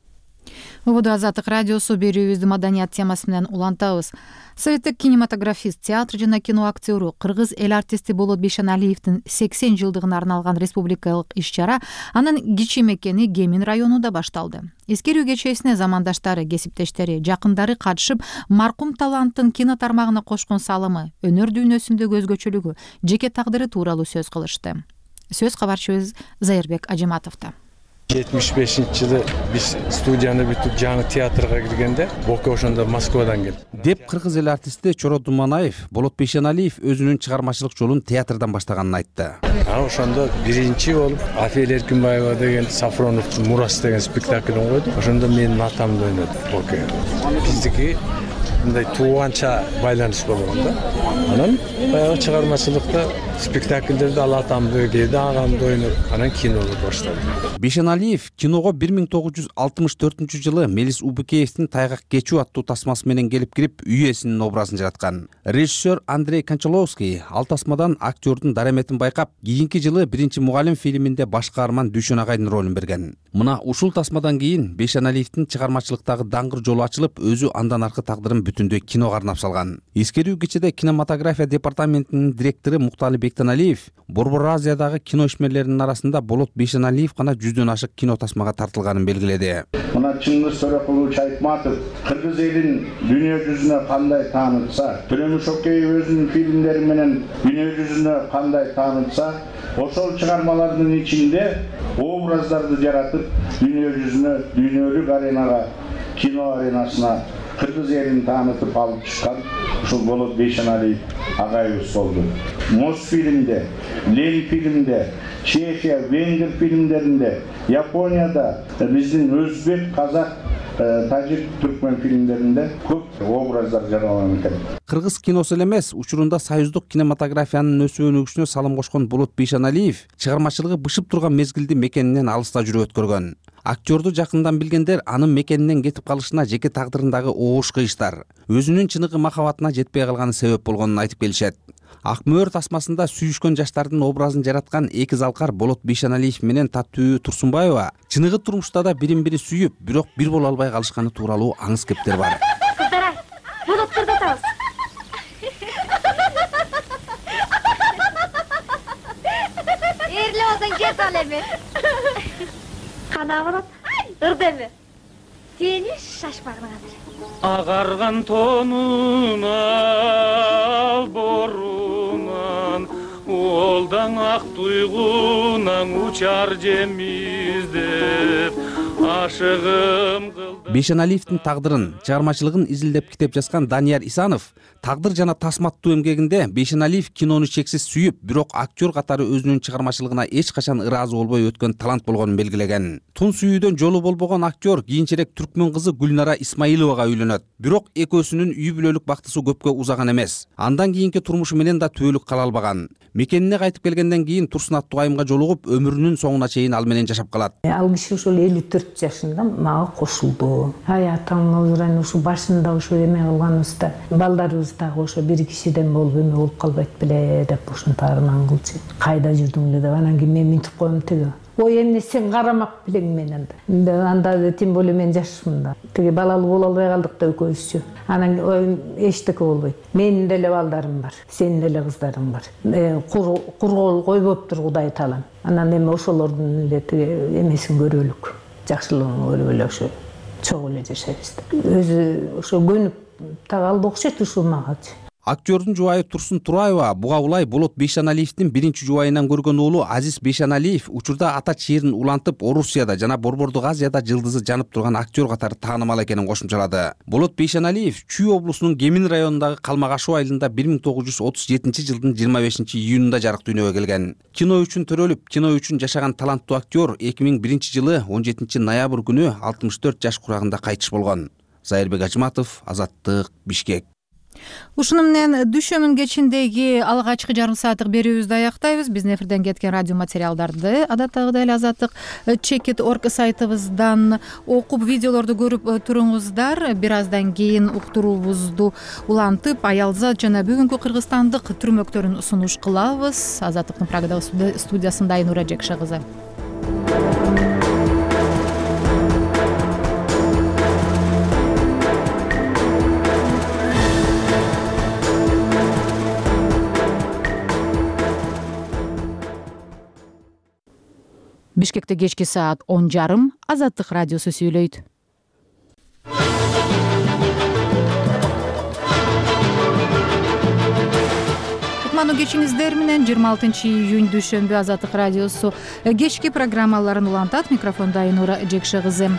[SPEAKER 1] Убуду Азаттык радиосу берүүбүздү маданият темасы менен улантабыз. Советтик кинематографист, театр жана кино актеру, кыргыз эл артисти Болот Бейшеналиевдин сексен жылдыгына арналган республикалык иш-чара анын кичи мекени Кемин районунда башталды. Эскерүү кечесине замандаштары, кесиптештери, жакындары катышып, маркум таланттын кино тармагына кошкон салымы, өнөр дүйнөсүндөгү өзгөчөлүгү, жеке тагдыры тууралуу сөз кылышты. Сөз кабарчыбыз Зайырбек Ажиматовдо.
[SPEAKER 21] жетимиш бешинчи жылы биз студияны бүтүп жаңы театрга киргенде Боке ошондо Москвадан келди
[SPEAKER 5] деп кыргыз эл артисти Чорот Думанаев Болот Бейшеналиев өзүнүн чыгармачылык жолун театрдан баштаганын айтты.
[SPEAKER 21] Анан ошондо биринчи болуп Афель Эркинбаева деген Сафроновдун Мурас деген спектаклин койду. Ошондо менин атамды ойноду Боке. Биздики мындай тууганча байланыш болгон да. Анан баягы чыгармачылыкта спектакльдерди ал атамды, кээде агамды ойноп, анан кинолу баштады.
[SPEAKER 5] Бейшеналиев киного бир миң тогуз жүз алтымыш төртүнчү жылы Мелис Убыкеевдин Тайгак кечүү аттуу тасмасы менен келип кирип, үй ээсинин образын жараткан. Режиссер Андрей Кончаловский ал тасмадан актердун дараметин байкап, кийинки жылы Биринчи мугалим фильминде баш каарман Дүйшөн агайдын ролун берген. Мына ушул тасмадан кийин Бейшеналиевдин чыгармачылыктагы даңгыр жолу ачылып, өзү андан аркы тагдырын бүтүндөй киного арнап салган. Эскерүү кечеде кинематография департаментинин директору Муктали Бектеналиев Борбор Азиядагы кино ишмерлеринин арасында Болот Бейшеналиев гана жүздөн ашык кино тасмага тартылганын белгиледи.
[SPEAKER 22] Мына Чыңгыз Төрөкулович Айтматов кыргыз элин дүйнө жүзүнө кандай таанытса, Төлөнү Шокеев өзүнүн фильмдери менен дүйнө жүзүнө кандай таанытса, ошол чыгармалардын ичинде образдарды жаратып, дүйнө жүзүнө, дүйнөлүк аренага, кино аренасына кыргыз элин таанытып алып чыккан ушул Болот Бейшеналиев агайыбыз болду. Мосфильмде, Ленфильмде, Чехия, Венгер фильмдеринде, Японияда, биздин өзбек, казак, тажик, түркмөн фильмдеринде көп образдар жаралган экен.
[SPEAKER 5] Кыргыз киносу эле эмес, учурунда союздук кинематографиянын өсүп өнүгүшүнө салым кошкон Болот Бейшеналиев чыгармачылыгы бышып турган мезгилди мекенинен алыста жүрүп өткөргөн. Актерду жакындан билгендер анын мекенинен кетип калышына жеке тагдырындагы оош кыйыштар, өзүнүн чыныгы махабатына жетпей калганы себеп болгонун айтып келишет. Ак мөөр тасмасында сүйүшкөн жаштардын образын жараткан эки залкар Болот Бейшеналиев менен Таттуу Турсунбаева чыныгы турмушта да бирин-бири сүйүп, бирок бир боло албай калышканы тууралуу аңыз кептер бар.
[SPEAKER 23] Кыздар, болоттурду атабыз. Эрле болсоң кет ал эми. Кана болот, ырды эми. Сени шашпагын азыр.
[SPEAKER 24] Агарган тонун алборунан, олдан ак туйгунан учар жемиздеп, ашыгым кылды.
[SPEAKER 5] Бейшеналиевдин тагдырын, чыгармачылыгын изилдеп китеп жазган Данияр Исанов тагдыр жана тасматтуу эмгегинде Бейшеналиев кинону чексиз сүйүп, бирок актер катары өзүнүн чыгармачылыгына эч качан ыраазы болбой өткөн талант болгонун белгилеген. Тун сүйүүдөн жолу болбогон актер кийинчерээк түркмөн кызы Гүлнара Исмаиловага үйлөнөт. Бирок экөөсүнүн үй бүлөлүк бактысы көпкө узаган эмес. Андан кийинки турмушу менен да түбөлүк кала албаган. Мекенине кайтып келгенден кийин Турсун аттуу айымга жолугуп, өмүрүнүн соңуна чейин ал менен жашап калат.
[SPEAKER 25] Ал киши ошол элүү төрт жашында мага кошулду. Аятаңыз ушу башында ошо эме кылганыбызда, балдарыбыз дагы ошо бир кишиден болуп эме болуп калбайт беле деп ошонтагынан кылчу. Кайда жүрдүң эле деп анан кийин мен минтип коем тиги. Ой эмне сен карамак белең менен да. Анда тем более мен жашмын да. Тиги балалуу боло албай калдык да экөөбүзчү. Анан эчтеке болбойт. Менин деле балдарым бар, сенин деле кыздарың бар. Кургол койбоптур Кудай таалам. Анан эми ошолордун эле тиги эмесин көрөлүк. Жакшылыгын көрүп эле ошо чогуу эле жашайбыз да. Өзү ошо көнүп так алды окшойт ушул магачы.
[SPEAKER 5] Актердун жубайы Турсун Тураева буга улай Болот Бейшеналиевдин биринчи жубайынан көргөн уулу Азиз Бейшеналиев учурда ата чээрин улантып Орусияда жана Борбордук Азияда жылдызы жанып турган актер катары таанымал экенин кошумчалады. Болот Бейшеналиев Чүй облусунун Кемин районундагы Калмагашуу айылында бир миң тогуз жүз отуз жетинчи жылдын жыйырма бешинчи июнунда жарык дүйнөгө келген. Кино үчүн төрөлүп, кино үчүн жашаган таланттуу актер эки миң биринчи жылы он жетинчи ноябрь күнү алтымыш төрт жаш курагында кайтыш болгон. Зайырбек Ажыматов, Азаттык, Бишкек.
[SPEAKER 1] Ушуну менен дүйшөмүн кечиндеги алгачкы жарым сааттык берүүбүздү аяктайбыз. Биздин эфирден кеткен радио материалдарды адаттагыдай эле Азаттык чекит точка орг сайтыбыздан окуп, видеолорду көрүп туруңуздар. Бир аздан кийин уктуруубузду улантып, аялзат жана бүгүнкү кыргызстандык түрмөктөрүн сунуш кылабыз. Азаттыктын Прагадагы студиясында Айнура Жекша кызы. Бишкекте кечки саат он жарым Азаттык радиосу сүйлөйт. Кутмандуу кечиңиздер менен жыйырма алтынчы июнь дүйшөмбү Азаттык радиосу кечки программаларын улантат. Микрофондо Айнура Жекша кызы.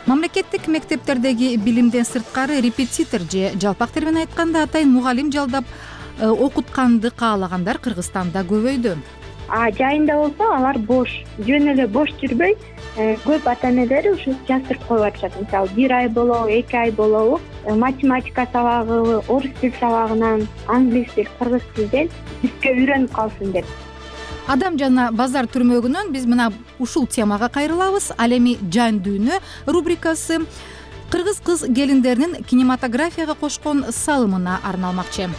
[SPEAKER 1] Мамлекеттик мектептердеги билимден сырткары репетитор же жалпак тил менен айтканда атайын мугалим жалдап окутканды каалагандар Кыргызстанда көбөйдү.
[SPEAKER 3] А жайында болсо алар бош, жөн эле бош жүрбөй, көп ата энелери ушу жаздырып коюп атышат. Мисалы бир ай болобу, эки ай болобу математика сабагы, орус тил сабагынан, англис тил, кыргыз тилден бизге үйрөнүп калсын деп.
[SPEAKER 1] Адам жана базар түрмөгүнөн биз мына ушул темага кайрылабыз. Ал эми Жан дүйнө рубрикасы кыргыз кыз келиндеринин кинематографияга кошкон салымына арналмакчы.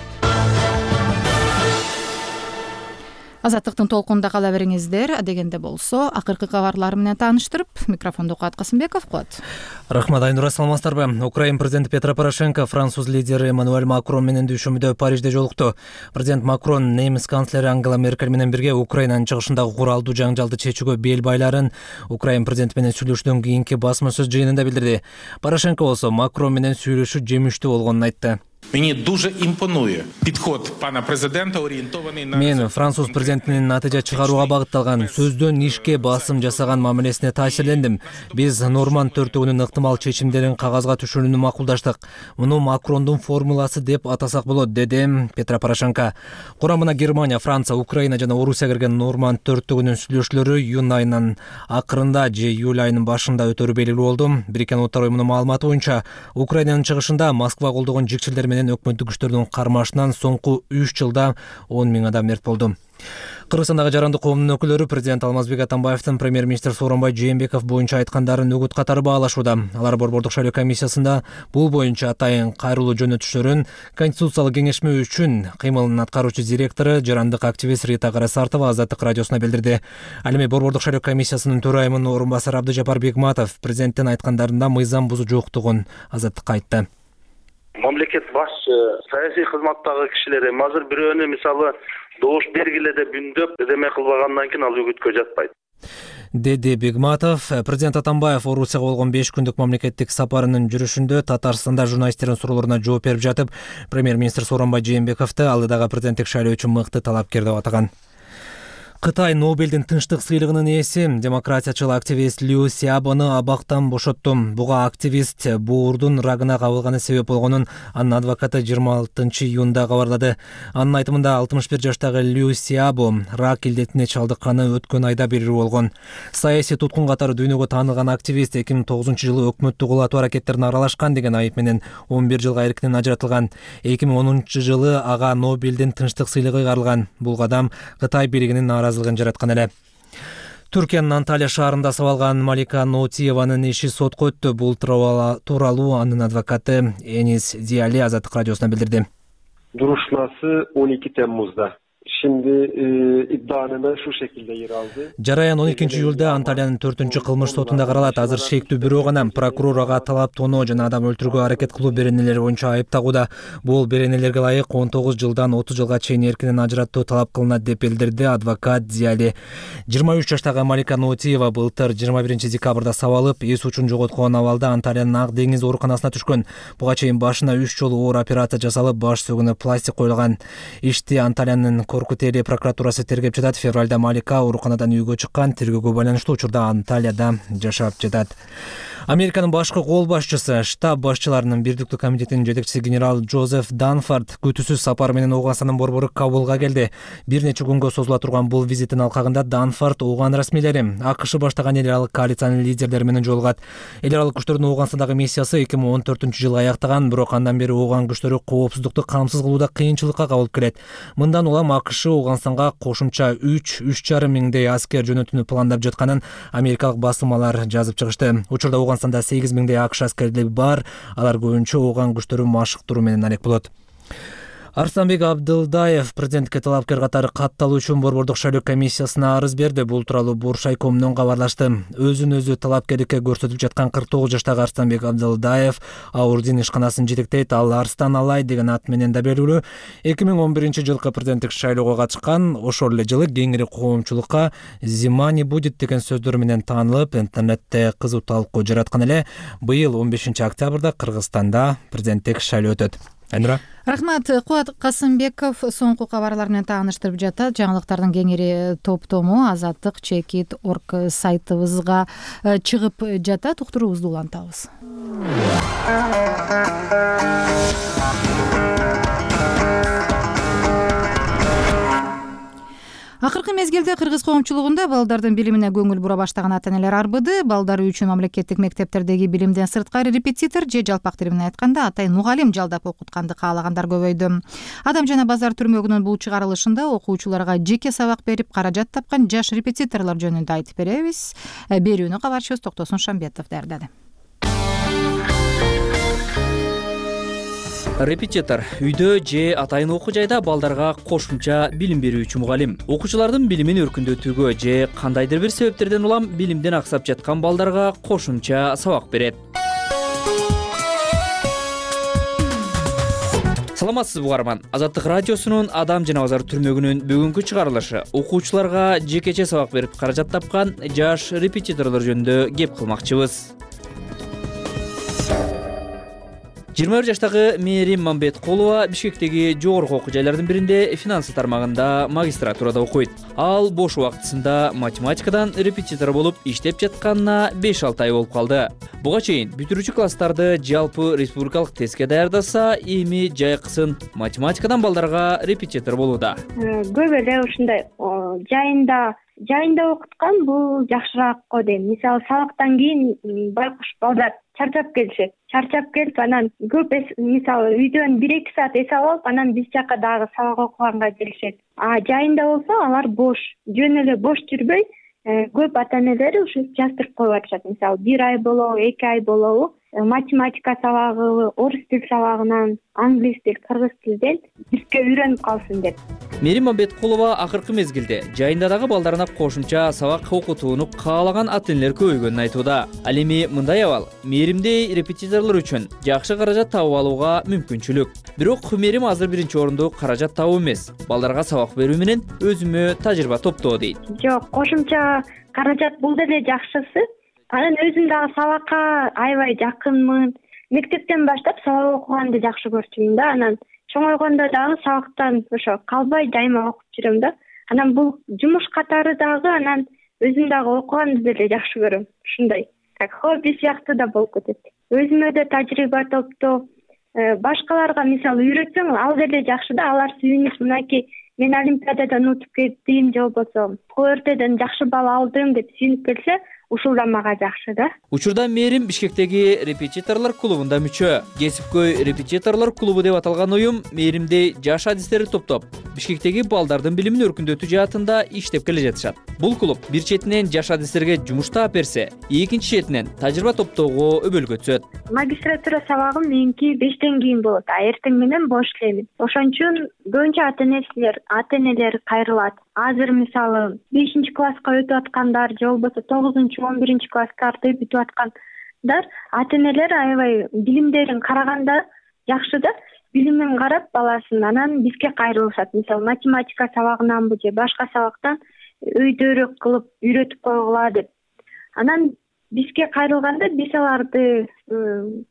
[SPEAKER 1] Азаттыктын толкунда кала бериңиздер. Дегенде болсо, акыркы кабарлар менен тааныштырып, микрофонду Куат Касымбеков коет.
[SPEAKER 2] Рахмат, Айнура, саламатсыздарбы? Украин президенти Петро Порошенко француз лидери Эммануэль Макрон менен дүйшөмүдө Парижде жолукту. Президент Макрон немис канцлери Ангела Меркель менен бирге Украинанын чыгышындагы куралдуу жаңжалды чечүүгө бел байларын Украин президенти менен сүйлөшүүдөн кийинки басма сөз жыйынында билдирди. Порошенко болсо Макрон менен сүйлөшүү жемиштүү болгонун айтты.
[SPEAKER 4] Мені дуже імпонує підход пана президента, орієнтований на...
[SPEAKER 2] Мен француз президентинин натыйжа чыгарууга багытталган сөздөн ишке басым жасаган мамилесине таасирлендим. Биз Норманд төртөгүнүн ыктымал чечимдерин кагазга түшүрүүнү макулдаштык. Муну Макрондун формуласы деп атасак болот, деди Петро Порошенко. Курамына Германия, Франция, Украина жана Орусия кирген Норманд төртөгүнүн сүйлөшүүлөрү июнь айынын акырында же июль айынын башында өтөрү белгилүү болду. Бириккен Улуттар уюмунун маалыматы боюнча, Украинанын чыгышында Москва колдогон жикчилдер менен өкмөттүк күчтөрдүн кармашынан соңку үч жылда он миң адам мерт болду. Кыргызстандагы жарандык коомдун өкүлдөрү президент Алмазбек Атамбаевдин премьер-министр Сооронбай Жээнбеков боюнча айткандарын үгүт катары баалашууда. Алар борбордук шайлоо комиссиясында бул боюнча атайын кайрылуу жөнөтүштөрүн Конституциялык кеңешме үчүн кыймылынын аткаруучу директору, жарандык активист Рита Карасартова Азаттык радиосуна билдирди. Ал эми борбордук шайлоо комиссиясынын төрайымынын орун басары Абдыжапар Бегматов президенттин айткандарында мыйзам бузуу жоктугун Азаттыкка айтты.
[SPEAKER 6] Мамлекет башчы, саясий кызматтагы кишилер эми азыр бирөөнү мисалы добуш бергиле деп үндөп эме кылбагандан кийин ал үгүткө жатпайт,
[SPEAKER 2] деди Бегматов. Президент Атамбаев Орусияга болгон беш күндүк мамлекеттик сапарынын жүрүшүндө Татарстанда журналисттердин суроолоруна жооп берип жатып, премьер-министр Сооронбай Жээнбековду алдыдагы президенттик шайлоо үчүн мыкты талапкер деп атаган. Кытай Нобелдин тынчтык сыйлыгынын ээси демократиячыл активист Лю Сябону абактан бошотту. Буга активист боордун рагына кабылганы себеп болгонун анын адвокаты жыйырма алтынчы июнда кабарлады. Анын айтымында алтымыш бир жаштагы Лю Сябо рак илдетине чалдыкканы өткөн айда белгилүү болгон. Саясий туткун катары дүйнөгө таанылган активист эки миң тогузунчу жылы өкмөттү кулатуу аракеттерине аралашкан деген айып менен он бир жылга эркинен ажыратылган. эки миң онунчу жылы ага Нобелдин тынчтык сыйлыгы кайрылган. Бул кадам Кытай бийлигинин наразылыгын жараткан эле. Түркиянын Анталия шаарында сабалган Малика Ноутиеванын иши сотко өттү. Бул тууралуу анын адвокаты Энис Диали Азаттык радиосуна билдирди.
[SPEAKER 8] Duruşması on iki Temmuz'da
[SPEAKER 7] Şimdi e, iddianame şu şekilde yer aldı.
[SPEAKER 2] Жараян он экинчи июлда Анталиянын төртүнчү кылмыш сотунда каралат. Азыр шектүү бирөө гана прокурор ага талап тоноо жана адам өлтүрүүгө аракет кылуу беренелери боюнча айып тагууда. Бул беренелерге ылайык он тогуз жылдан отуз жылга чейин эркинен ажыраттоо талап кылынат деп билдирди адвокат Зияли. жыйырма үч жаштагы Малика Ноотиева былтыр жыйырма биринчи декабрда сабалып, эс учун жоготкон абалда Анталиянын Ак деңиз ооруканасына түшкөн. Буга чейин башына үч жолу оор операция жасалып, баш сөгүнө пластик коюлган. Ишти Анталиянын Коркутели прокуратурасы тергеп жатат. Февралда Малика ооруканадан үйгө чыккан. Тергөөгө байланыштуу учурда Анталияда жашап жатат. Американын башкы кол башчысы, штаб башчыларынын Бирдиктүү комитетинин жетекчиси генерал Джозеф Данфорд күтүүсүз сапар менен Ооганстандын борбору Кабулга келди. Бир нече күнгө созула турган бул визиттин алкагында Данфорд Ооган расмийлери, АКШ баштаган эл аралык коалициянын лидерлери менен жолугат. Эл аралык күчтөрдүн Ооганстандагы миссиясы эки миң он төртүнчү жылы аяктаган, бирок андан бери Ооган күчтөрү коопсуздукту камсыз кылууда кыйынчылыкка кабылып келет. Мындан улам АКШ Ооганстанга кошумча үч үч жарым миңдей аскер жөнөтүүнү пландап жатканын америкалык басылмалар жазып чыгышты. Учурда Ооганстанда сегиз миңдей АКШ аскерлери бар. Алар көбүнчө Ооган күчтөрү машыктыруу менен алек болот. Арстанбек Абдылдаев президентке талапкер катары катталуу үчүн борбордук шайлоо комиссиясына арыз берди. Бул тууралуу Буршайкомдон кабарлашты. Өзүн өзү талапкерликке көрсөтүп жаткан кырк тогуз жаштагы Арстанбек Абдылдаев Аурдин ишканасын жетектейт. Ал Арстан Алай деген ат менен да белгилүү. эки миң он биринчи жылкы президенттик шайлоого катышкан. Ошол эле жылы кеңири коомчулукка «Зима не будет» деген сөздөр менен таанылып, интернетте кызуу талкуу жараткан эле. Быйыл он бешинчи октябрда Кыргызстанда президенттик шайлоо өтөт. Айнура.
[SPEAKER 1] Рахмат. Кубат Касымбеков соңку кабарлар менен тааныштырып жатат. Жаңылыктардын кеңири топтому азаттык чекит орг сайтыбызга чыгып жатат. Уктуруубузду улантабыз. Акыркы мезгилде кыргыз коомчулугунда балдардын билимине көңүл бура баштаган ата-энелер арбыды. Балдары үчүн мамлекеттик мектептердеги билимден сырткары репетитор же жалпак тили менен айтканда атайын мугалим жалдап окутканды каалагандар көбөйдү. Адам жана базар түрмөгүнүн бул чыгарылышында окуучуларга жеке сабак берип каражат тапкан жаш репетиторлор жөнүндө айтып беребиз. Берүүнү кабарчыбыз Токтосун Шамбетов даярдады.
[SPEAKER 8] Репетитор үйдө же атайын окуу жайда балдарга кошумча билим берүүчү мугалим. Окуучулардын билимин өркүндөтүүгө же кандайдыр бир себептерден улам билимден аксап жаткан балдарга кошумча сабак берет. Саламатсызбы угарман. Азаттык радиосунун Адам жана базар түрмөгүнүн бүгүнкү чыгарылышы окуучуларга жекече сабак берип каражат тапкан жаш репетиторлор жөнүндө кеп кылмакчыбыз. жыйырма бир жаштагы Мээрим Мамбеткулова Бишкектеги жогорку окуу жайлардын биринде финансы тармагында магистратурада окуйт. Ал бош убактысында математикадан репетитор болуп иштеп жатканына беш алты ай болуп калды. Буга чейин бүтүрүүчү класстарды жалпы республикалык тестке даярдаса, эми жайкысын математикадан балдарга репетитор болууда.
[SPEAKER 3] Көп эле ушундай жайында жайында окуткан бул жакшыраак го дейм. Мисалы сабактан кийин байкуш балдар чарчап келишет. Чарчап келип анан көп мисалы үйдөн бир эки саат эс алып, анан биз жака дагы сабак окуганга келишет. А жайында болсо алар бош, жөн эле бош жүрбөй, көп ата-энелери ушу жаздырып коюп атышат. Мисалы бир ай болобу, эки ай болобу математика сабагы, орус тил сабагынан, англис тил, кыргыз тилден бизге үйрөнүп калсын деп.
[SPEAKER 8] Мээрим Мамбеткулова акыркы мезгилде жайында дагы балдарына кошумча сабак окутууну каалаган ата-энелер көбөйгөнүн айтууда. Ал эми мындай абал Мээримдей репетиторлор үчүн жакшы каражат табып алууга мүмкүнчүлүк. Бирок Мээрим азыр биринчи орунду каражат табуу эмес, балдарга сабак берүү менен өзүмө тажрыйба топтоо дейт.
[SPEAKER 3] Жок, кошумча каражат бул деле жакшысы. Анан өзүм дагы сабакка аябай жакынмын. Мектептен баштап сабак окуганды жакшы көрчүмүн да. Анан чоңойгондо дагы сабактан ошо калбай дайыма окуп жүрөм да. Анан бул жумуш катары дагы анан өзүм дагы окуганды деле жакшы көрөм. Ушундай как хобби сыяктуу да болуп кетет. Өзүмө да тажрыйба топтоо, башкаларга мисалы үйрөтсөң ал деле жакшы да. Алар сүйүнүп мынакей мен олимпиададан утуп кеттим же болбосо КОРТден жакшы балл алдым деп сүйүнүп келсе, ушул да мага жакшы да.
[SPEAKER 8] Учурда мээрим Бишкектеги репетиторлор клубунда мүчө. Кесипкөй репетиторлор клубу деп аталган уюм мээримде жаш адистерди топтоп, Бишкектеги балдардын билимин өркүндөтүү жаатында иштеп келе жатышат. Бул клуб бир четинен жаш адистерге жумуш таап берсе, экинчи четинен тажрыйба топтоого өбөлгө түзөт.
[SPEAKER 3] Магистратура сабагым меники бештен кийин болот, а эртең менен бош элемин. Ошон үчүн көбүнчө ата-энелер, ата-энелер кайрылат. Азыр мисалы бешинчи класска өтүп аткандар же болбосо тогузунчу он биринчи класстарды бүтүп аткандар ата-энелер аябай билимдерин караганда жакшы да, билимин карап баласын анан бизге кайрылышат. Мисалы математика сабагынанбы же башка сабактан өйдөрөөк кылып үйрөтүп койгула деп. Анан бизге кайрылганда биз аларды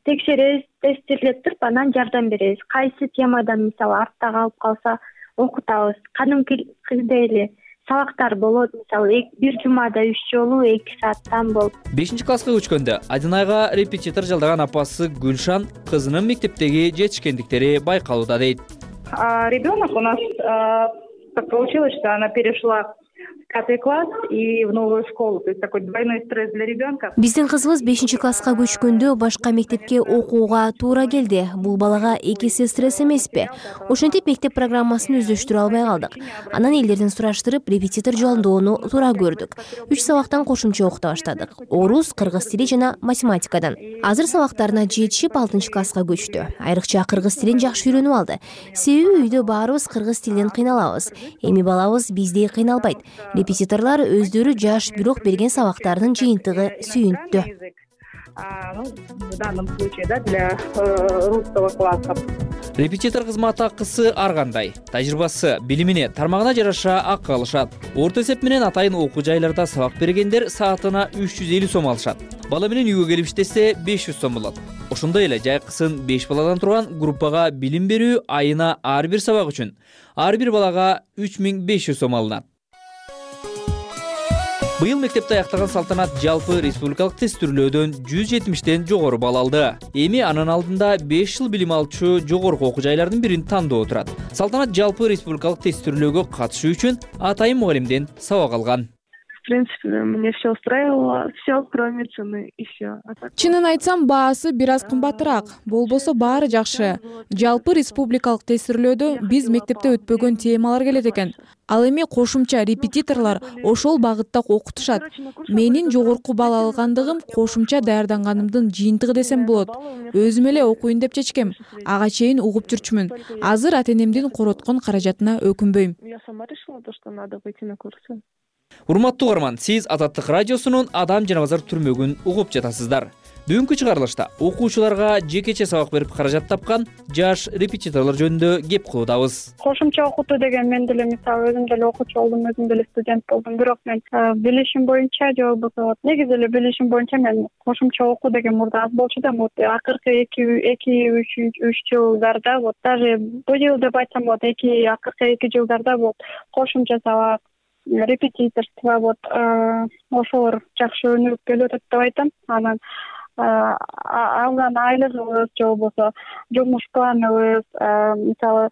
[SPEAKER 3] текшеребиз, тестирлеп туруп анан жардам беребиз. Кайсы темадан мисалы артта калып калса окутабыз. Кадимкидей эле сабактар болот, мисалы бир жумада үч жолу эки сааттан болуп.
[SPEAKER 8] бешинчи класска көчкөндө Адинайга репетитор жалдаган апасы Гүлшан кызынын мектептеги жетишкендиктери байкалууда дейт.
[SPEAKER 9] Ребенок у нас так получилось, что она перешла пятый класс и в новую школу, то есть такой двойной стресс для ребенка.
[SPEAKER 10] Биздин кызыбыз бешинчи класска көчкөндө башка мектепке окууга туура келди. Бул балага эки эсе стресс эмеспи? Ошентип мектеп программасын өздөштүрө албай калдык. Анан элдерден сураштырып, репетитор жолдоону туура көрдүк. үч сабактан кошумча окута баштадык. Орус, кыргыз тили жана математикадан. Азыр сабактарына жетишип алтынчы класска көчтү. Айрыкча кыргыз тилин жакшы үйрөнүп алды. Себеби үйдө баарыбыз кыргыз тилинен кыйналабыз. Эми балабыз биздей кыйналбайт. Репетиторлор өздөрү жаш, бирок берген сабактарынын жыйынтыгы сүйүнттү.
[SPEAKER 9] В данном случае, да, для русского класса.
[SPEAKER 8] Репетитор кызмат акысы ар кандай. Тажрыйбасы, билимине тармагына жараша акы алышат. Орто эсеп менен атайын окуу жайларда сабак бергендер саатына үч жүз элүү сом алышат. Бала менен үйгө келип иштесе беш жүз сом болот. Ошондой эле жайкысын беш баладан турган группага билим берүү айына ар бир сабак үчүн ар бир балага үч миң беш жүз сом алынат. Быйыл мектепти аяктаган Салтанат жалпы республикалык тестүрлөөдөн жүз жетимиштен жогору балл алды. Эми анын алдында беш жыл билим алчу жогорку окуу жайлардын бирин тандоо турат. Салтанат жалпы республикалык тестүрлөөгө катышуу үчүн атайын мугалимден сабак алган.
[SPEAKER 11] В принципе, меня все устраивало, все кроме цены и все.
[SPEAKER 13] Чынын айтсам, баасы бир аз кымбатыраак. Болбосо баары жакшы. Жалпы республикалык тестирлөөдө биз мектепте өтпөгөн темалар келет экен. Ал эми кошумча репетиторлор ошол багытта окутушат. Менин жогорку балл алгандыгым кошумча даярданганымдын жыйынтыгы десем болот. Өзүм эле окуйн деп чечкем. Ага чейин угуп жүрчүмүн. Азыр ата-энемдин короткон каражатына өкүнбөйм.
[SPEAKER 11] Я сама решила то, что надо выйти на курсы.
[SPEAKER 8] Урматтуу угарман, сиз Азаттык радиосунун Адам жана базар түрмөгүн угуп жатасыздар. Бүгүнкү чыгарылышта окуучуларга жекече сабак берип каражат тапкан жаш репетиторлор жөнүндө кеп кылуудабыз.
[SPEAKER 3] Кошумча окутуу деген мен деле мисалы өзүм деле окуучу болдум, өзүм деле студент болдум, бирок мен билишим боюнча же болбосо негизи эле билишим боюнча мен кошумча окуу деген мурда аз болчу да, вот акыркы эки эки үч үч жылдарда, вот даже бул жыл деп айтсам болот, эки акыркы эки жылдарда вот кошумча сабак, репетиторство вот ошолор жакшы өнүгүп келип атат деп айтам. Анан алган айлыгыбыз же болбосо жумуш планыбыз, мисалы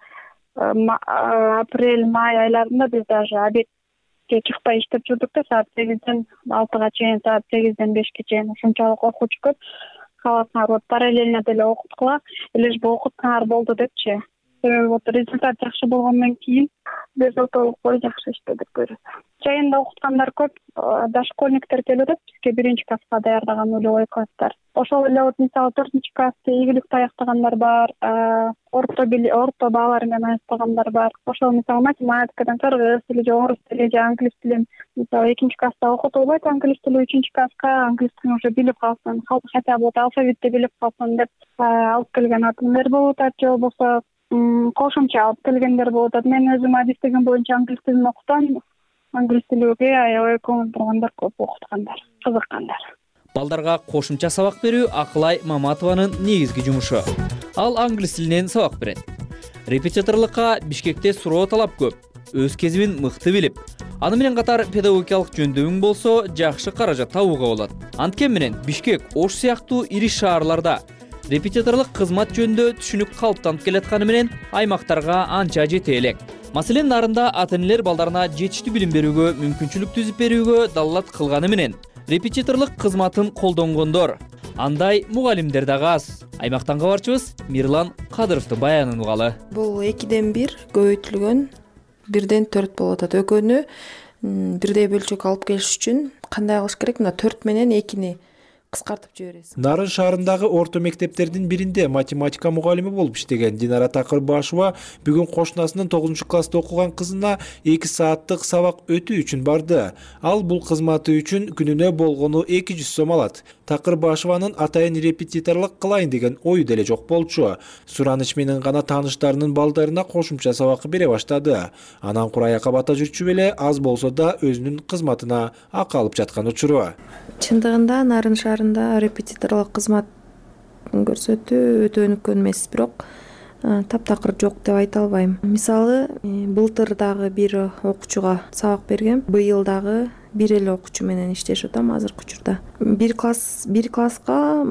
[SPEAKER 3] апрель май айларында биз даже обедке чыкпай иштеп жүрдүк да, саат сегизден алтыга чейин, саат сегизден бешке чейин. Ушунчалык окуучу көп. Каласаңар вот параллельно деле окуткула, лишь бы окутсаңар болду депчи. Вот результат жакшы болгондон кийин безотолук бой жакшы иштедик көрөт. Жайында окуткандар көп, дошкольниктер келип атат бизге биринчи класска даярдаган нулевой класстар. Ошол эле вот мисалы төртүнчү классты ийгиликтүү аяктагандар бар, орто орто баалар менен аяктагандар бар. Ошол мисалы математикадан кыргыз тили же орус тили же англис тилин мисалы экинчи класста окутулбайт, англис тили үчүнчү класска англис тилин уже билип калсын, хотя бы алфавитти билип калсын деп алып келген ата-энелер болуп атат, же болбосо кошумча алып келгендер болуп атат. Мен өзүм адистигим боюнча англис тилин окутам. Англис тилиге аябай көңүл бургандар көп, окуткандар, кызыккандар.
[SPEAKER 8] Балдарга кошумча сабак берүү Акылай Маматованын негизги жумушу. Ал англис тилинен сабак берет. Репетиторлукка Бишкекте суроо талап көп. Өз кезибин мыкты билип, аны менен катар педагогикалык жөндөмүң болсо жакшы каражат табууга болот. Анткени менен Бишкек, Ош сыяктуу ири шаарларда репетиторлук кызмат жөнүндө түшүнүк калыптанып келатканы менен аймактарга анча жете элек. Маселен, нарында ата-энелер балдарына жетиштүү билим берүүгө мүмкүнчүлүк түзүп берүүгө далалат кылганы менен репетиторлук кызматын колдонгондор андай мугалимдер дагы аз. Аймактан кабарчыбыз Мирлан Кадыровдун баянын угалы.
[SPEAKER 12] Бул экиден бир көбөйтүлгөн, бирден төрт болуп атат. Экөөнү бирдей бөлчөк алып келиш үчүн кандай кылыш керек? Мына төрт менен экини кыскартып жибересиз.
[SPEAKER 14] Нарын шаарындагы орто мектептердин биринде математика мугалими болуп иштеген Динара Такырбашева бүгүн кошунасынын тогузунчу класста окуган кызына эки сааттык сабак өтүү үчүн барды. Ал бул кызматы үчүн күнүнө болгону эки жүз сом алат. Такырбашеванын атайын репетиторлук кылайын деген ою деле жок болчу. Сураныч менен гана тааныштарынын балдарына кошумча сабак бере баштады. Анан кураяка бата жүрчү беле аз болсо да өзүнүн кызматына акы алып жаткан учуру.
[SPEAKER 12] Чындыгында Нарын шаарында репетиторлук кызмат көрсөтүү өтө өнүккөн эмес, бирок таптакыр жок деп айта албайм. Мисалы, былтыр дагы бир окуучуга сабак бергем, быйыл дагы бир эле окуучу менен иштешип атам азыркы учурда. Бир класс, бир класска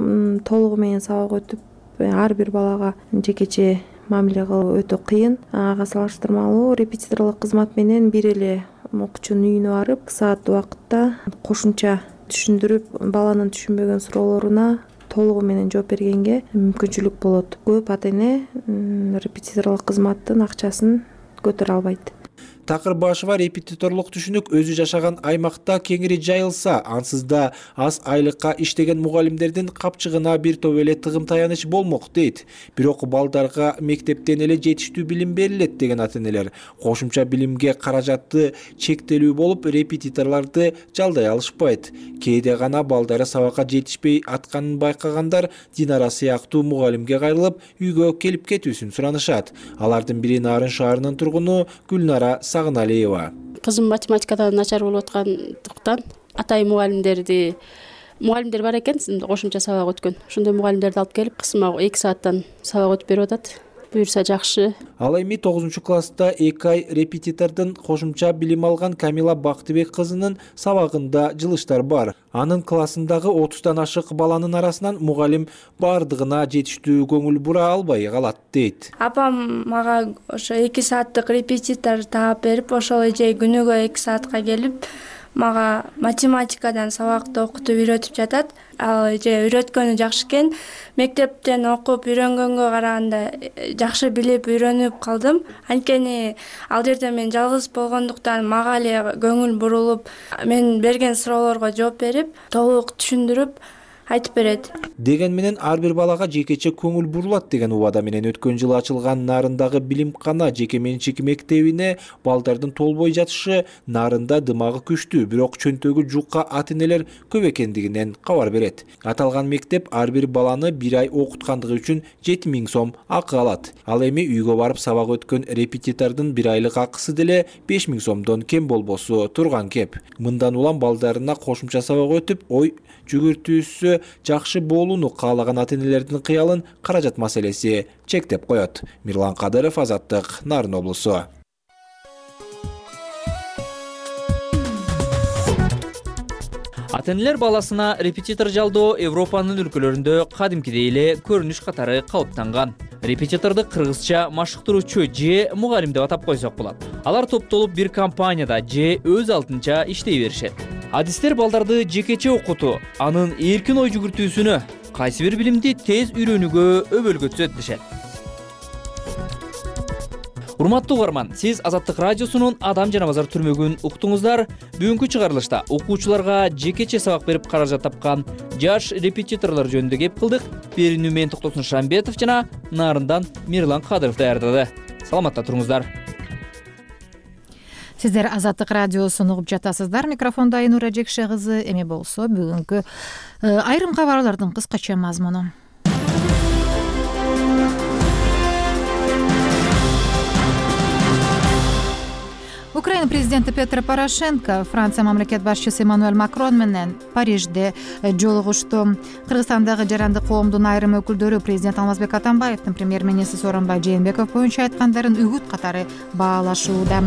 [SPEAKER 12] толугу менен сабак өтүп, ар бир балага жекече мамиле кылуу өтө кыйын. Ага салыштырмалуу репетиторлук кызмат менен бир эле окуучунун үйүнө барып, саат убакытта кошумча түшүндүрүп, баланын түшүнбөгөн суроолоруна толугу менен жооп бергенге мүмкүнчүлүк болот. Көп ата-эне репетиторлук кызматтын акчасын көтөрө албайт.
[SPEAKER 14] Такырбашева репетиторлук түшүнүк өзү жашаган аймакта кеңири жайылса, ансыз да аз айлыкка иштеген мугалимдердин капчыгына бир топ эле тыгым таяныч болмок дейт. Бирок балдарга мектептен эле жетиштүү билим берилет деген ата-энелер кошумча билимге каражаты чектелүү болуп, репетиторлорду жалдай алышпайт. Кээде гана балдары сабакка жетишпей атканын байкагандар Динара сыяктуу мугалимге кайрылып, үйгө келип кетүүсүн суранышат. Алардын бири Нарын шаарынын тургуну Гүлнара Сагыналиева.
[SPEAKER 15] Кызым математикадан начар болуп аткандыктан атайын мугалимдерди мугалимдер бар экен, кошумча сабак өткөн. Ошондой мугалимдерди алып келип, кызыма эки сааттан сабак өтүп берип атат. Буюрса жакшы.
[SPEAKER 14] Ал эми тогузунчу класста эки ай репетитордун кошумча билим алган Камила Бактыбек кызынын сабагында жылыштар бар. Анын классындагы отуздан ашык баланын арасынан мугалим бардыгына жетиштүү көңүл бура албай калат дейт.
[SPEAKER 17] Апам мага ошо эки сааттык репетитор таап берип, ошол эже күнүгө эки саатка келип, мага математикадан сабакты окутуп үйрөтүп жатат. Ал эже үйрөткөнү жакшы экен. Мектептен окуп үйрөнгөнгө караганда жакшы билип үйрөнүп калдым. Анткени ал жерде мен жалгыз болгондуктан мага эле көңүл бурулуп, мен берген суроолорго жооп берип, толук түшүндүрүп айтып берет.
[SPEAKER 14] Деген менен ар бир балага жекече көңүл бурулат деген убада менен өткөн жылы ачылган Нарындагы билимкана жеке менчик мектебине балдардын толбой жатышы Нарында дымагы күчтүү, бирок чөнтөгү жука ата-энелер көп экендигинен кабар берет. Аталган мектеп ар бир баланы бир ай окуткандыгы үчүн жети миң сом акы алат. Ал эми үйгө барып сабак өткөн репетитордун бир айлык акысы деле беш миң сомдон кем болбосу турган кеп. Мындан улам балдарына кошумча сабак өтүп, ой жүгүртүүсү жакшы болууну каалаган ата-энелердин кыялын каражат маселеси чектеп коет. Мирлан Кадыров, Азаттык, Нарын облусу.
[SPEAKER 8] Ата-энелер баласына репетитор жалдоо Европанын өлкөлөрүндө кадимкидей эле көрүнүш катары калыптанган. Репетиторду кыргызча машыктыруучу же мугалим деп атап койсок болот. Алар топтолуп бир компанияда же өз алдынча иштей беришет. Адистер балдарды жекече окутуу, анын эркин ой жүгүртүүсүнө, кайсы бир билимди тез үйрөнүүгө өбөлгө түзөт дешет. Урматтуу угарман, сиз Азаттык радиосунун Адам жана базар түрмөгүн уктуңуздар. Бүгүнкү чыгарылышта окуучуларга жекече сабак берип каражат тапкан жаш репетиторлор жөнүндө кеп кылдык. Берүүнү мен Токтосун Шамбетов жана Нарындан Мирлан Кадыров даярдады. Саламатта туруңуздар.
[SPEAKER 1] Сиздер Азаттык радиосун угуп жатасыздар. Микрофондо Айнура Жекше кызы. Эми болсо бүгүнкү айрым кабарлардын кыскача мазмуну. Украина президенти Петр Порошенко Франция мамлекет башчысы Эммануэль Макрон менен Парижде жолугушту. Кыргызстандагы жарандык коомдун айрым өкүлдөрү президент Алмазбек Атамбаевдин премьер-министр Сооронбай Жээнбеков боюнча айткандарын үгүт катары баалашууда.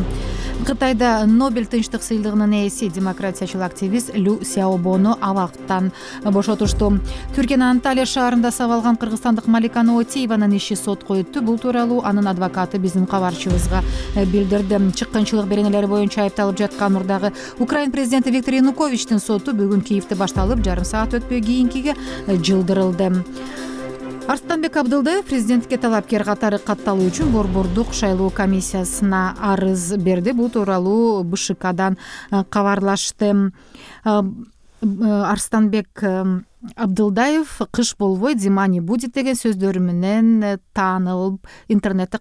[SPEAKER 1] Кытайда Нобель тынчтык сыйлыгынын ээси демократиячыл активист Лю Сяобону абактан бошотушту. Түркиянын Анталия шаарында сабалган кыргызстандык Малика Ноотиеванын иши сотко өттү. Бул тууралуу анын адвокаты биздин кабарчыбызга билдирди. Чыккынчылык беренелери боюнча айыпталып жаткан урдагы Украин президенти Виктор Януковичтин соту бүгүн Киевде башталып, жарым саат өтпөй кийинкиге жылдырылды. Арстанбек Абдылдаев президентке талапкер катары катталуу үчүн Борбордук шайлоо комиссиясына арыз берди. Бул тууралуу Б Ш Кдан кабарлашты. Арстанбек Абдылдаев кыш болбой Зима не будет деген сөздөрү менен таанылып, интернетте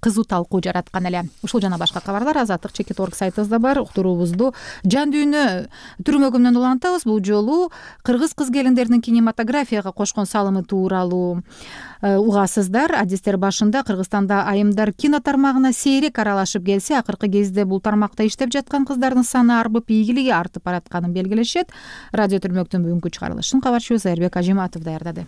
[SPEAKER 1] кызуу талкуу жараткан эле. Ушул жана башка кабарлар Азаттык чекит точка орг сайтыбызда бар. Уктуруубузду жан дүйнө түрмөгү менен улантабыз. Бул жолу кыргыз кыз-келиндеринин кинематографияга кошкон салымы тууралуу угасыздар. Адистер башында Кыргызстанда айымдар кино тармагына сейрек аралашып келсе, акыркы кезде бул тармакта иштеп жаткан кыздардын саны арбып, ийгилиги артып баратканын белгилешет. Радио Түрмөктүн бүгүнкү чыгарылышын кабарчыбыз Айырбек Ажиматов даярдады.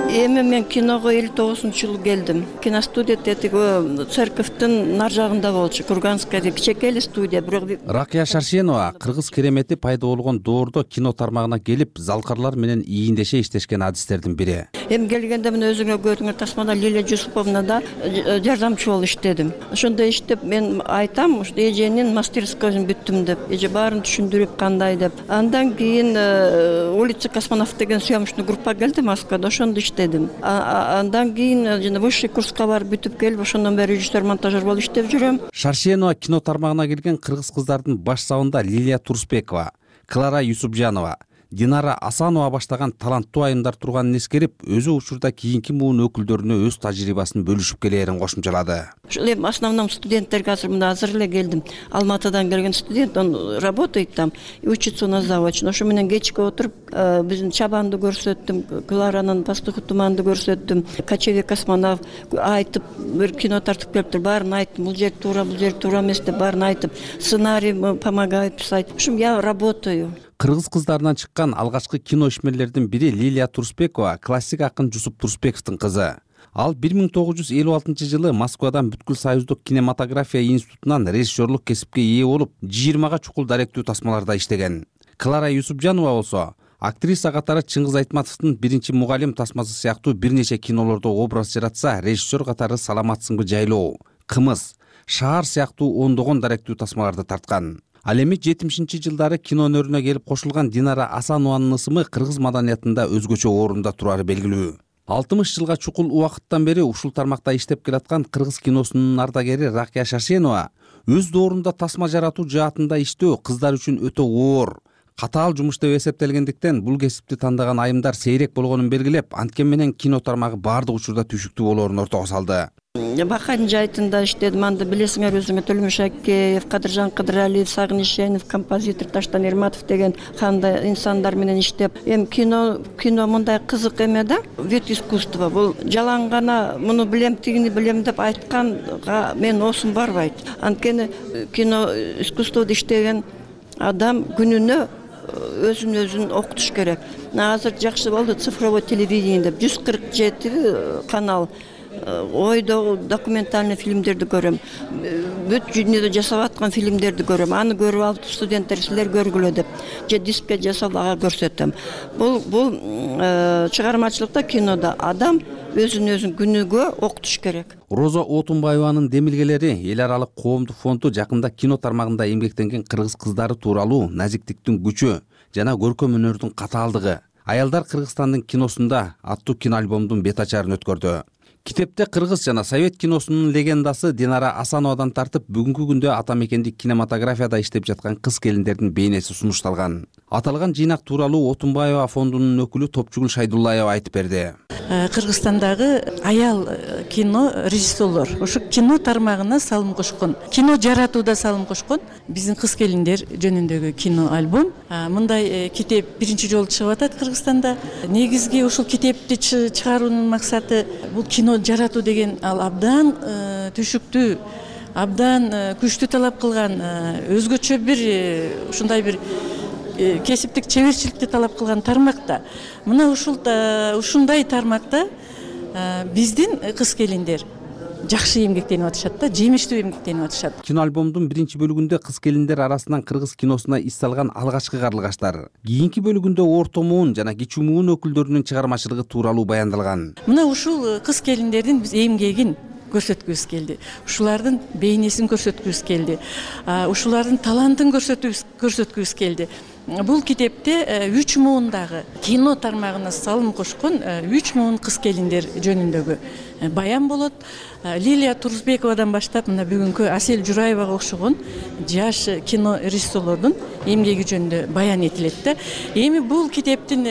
[SPEAKER 16] Эми мен киного элүү тогузунчу жылы келдим. Киностудия тетиги церковдун нар жагында болчу. Курганская кичекей эле студия, бирок
[SPEAKER 5] Ракия Шаршенова кыргыз керемети пайда болгон доордо кино тармагына келип, залкарлар менен ийиндеше иштешкен адистердин бири.
[SPEAKER 16] Эми келгенде мен өзүңө көрдүңөр тасмада Лилия Жусуповна да жардамчы болуп иштедим. Ошондо иштеп мен айтам, ушу эженин мастерскойун бүттүм деп, эже баарын түшүндүрүп кандай деп. Андан кийин улица Космонавт деген съемочный группа келди Москвада, ошондо иштедим. Андан кийин жана высший курска барып бүтүп келип, ошондон бери режиссер, монтажер болуп иштеп жүрөм.
[SPEAKER 5] Шаршенова кино тармагына келген кыргыз кыздардын баш сабында Лилия Турсбекова, Клара Юсупжанова, Динара Асанова баштаган таланттуу айымдар турганын эскерип, өзү учурда кийинки муун өкүлдөрүнө өз тажрыйбасын бөлүшүп келээрин кошумчалады.
[SPEAKER 16] Эми основном студенттерге азыр мында азыр эле келдим. Алматыдан келген студент, он работает там и учится у нас заочно. Ошо менен кечке отуруп, биздин Чабанды көрсөттүм, Кларанын Пастухы туманды көрсөттүм, Кочевье Космонавт айтып, бир кино тартып келиптир, баарын айттым, бул жер туура, бул жер туура эмес деп баарын айтып, сценарий помогает писать. В общем, я работаю.
[SPEAKER 5] Кыргыз кыздарынан чыккан алгачкы кино ишмерлердин бири Лилия Турсбекова, классик акын Жусуп Турсбековдун кызы. Ал бир миң тогуз жүз элүү алтынчы жылы Москвадан бүткүл союздук кинематография институтунан режиссерлук кесипке ээ болуп, жыйырмага чукул даректүү тасмаларда иштеген. Клара Юсупжанова болсо актриса катары Чыңгыз Айтматовдун биринчи мугалим тасмасы сыяктуу бир нече кинолордо образ жаратса, режиссер катары Саламатсыңбы жайлоо, Кымыз, Шаар сыяктуу ондогон даректүү тасмаларды тарткан. Ал эми жетимишинчи жылдары кино өнөрүнө келип кошулган Динара Асанованын ысымы кыргыз маданиятында өзгөчө орунда турары белгилүү. алтымыш жылга чукул убакыттан бери ушул тармакта иштеп келаткан кыргыз киносунун ардагери Ракия Шаршенова өз доорунда тасма жаратуу жаатында иштөө кыздар үчүн өтө оор, катаал жумуш деп эсептелгендиктен бул кесипти тандаган айымдар сейрек болгонун белгилеп, анткен менен кино тармагы баардык учурда түшүктүү болоорун ортого салды.
[SPEAKER 16] Бакан жайтында иштедим, анда билесиңер өзүңөр Төлөмүш Акеев, Кадыржан Кыдыралиев, Сагын Ишенов, композитор Таштан Эрматов деген кандай инсандар менен иштеп, эми кино кино мындай кызык эме да, вид искусства. Бул жалаң гана муну билем, тигини билем деп айтканга мен осум барбайт. Анткени кино искусствода иштеген адам күнүнө өзүн өзүн окутуш керек. Азыр жакшы болду цифровой телевидение деп жүз кырк жети канал ойдо документальный фильмдерди көрөм, бүт дүйнөдө жасап аткан фильмдерди көрөм, аны көрүп алып студенттер силер көргүлө деп же дискке жасап ага көрсөтөм. Бул бул чыгармачылыкта, кинодо адам өзүн өзүн күнүгө окутуш керек.
[SPEAKER 5] Роза Отунбаеванын демилгелери эл аралык коомдук фонду жакында кино тармагында эмгектенген кыргыз кыздары тууралуу назиктиктин күчү жана көркөм өнөрдүн катаалдыгы, аялдар Кыргызстандын киносунда аттуу киноальбомдун бет ачарын өткөрдү. Китепте кыргыз жана совет киносунун легендасы Динара Асановадан тартып, бүгүнкү күндө ата мекендик кинематографияда иштеп жаткан кыз-келиндердин бейнеси сунушталган. Аталган жыйнак тууралуу Отунбаева фондунун өкүлү Топчугул Шайдуллаева айтып берди.
[SPEAKER 18] Кыргызстандагы аял кино режиссерлор ушу кино тармагына салым кошкон, кино жаратууда салым кошкон. Биздин кыз-келиндер жөнүндөгү кино альбом. Мындай китеп биринчи жолу чыгып атат Кыргызстанда. Негизги ушул китепти чыгаруунун максаты бул кино жаратуу деген ал абдан түшүктүү, абдан күчтүү талап кылган, өзгөчө бир ушундай бир кесиптик чеберчиликти талап кылган тармакта. Мына ушул ушундай тармакта биздин кыз келиндер жакшы эмгектенип атышат да, жемиштүү эмгектенип атышат.
[SPEAKER 5] Кино альбомдун биринчи бөлүгүндө кыз келиндер арасынан кыргыз киносуна ис салган алгачкы карлыгаштар, кийинки бөлүгүндө орто муун жана кичүү муун өкүлдөрүнүн чыгармачылыгы тууралуу баяндалган.
[SPEAKER 18] Мына ушул кыз келиндердин биз эмгегин көрсөткүбүз келди. Ушулардын бейнесин көрсөткүбүз келди. Ушулардын талантын көрсөткүбүз келди. Бул китепте үч муундагы кино тармагына салым кошкон үч муун кыз келиндер жөнүндөгү баян болот. Лилия Турузбековадан баштап мына бүгүнкү Асель Жураевага окшогон жаш кино режиссерлордун эмгеги жөнүндө баян этилет да. Эми бул китептин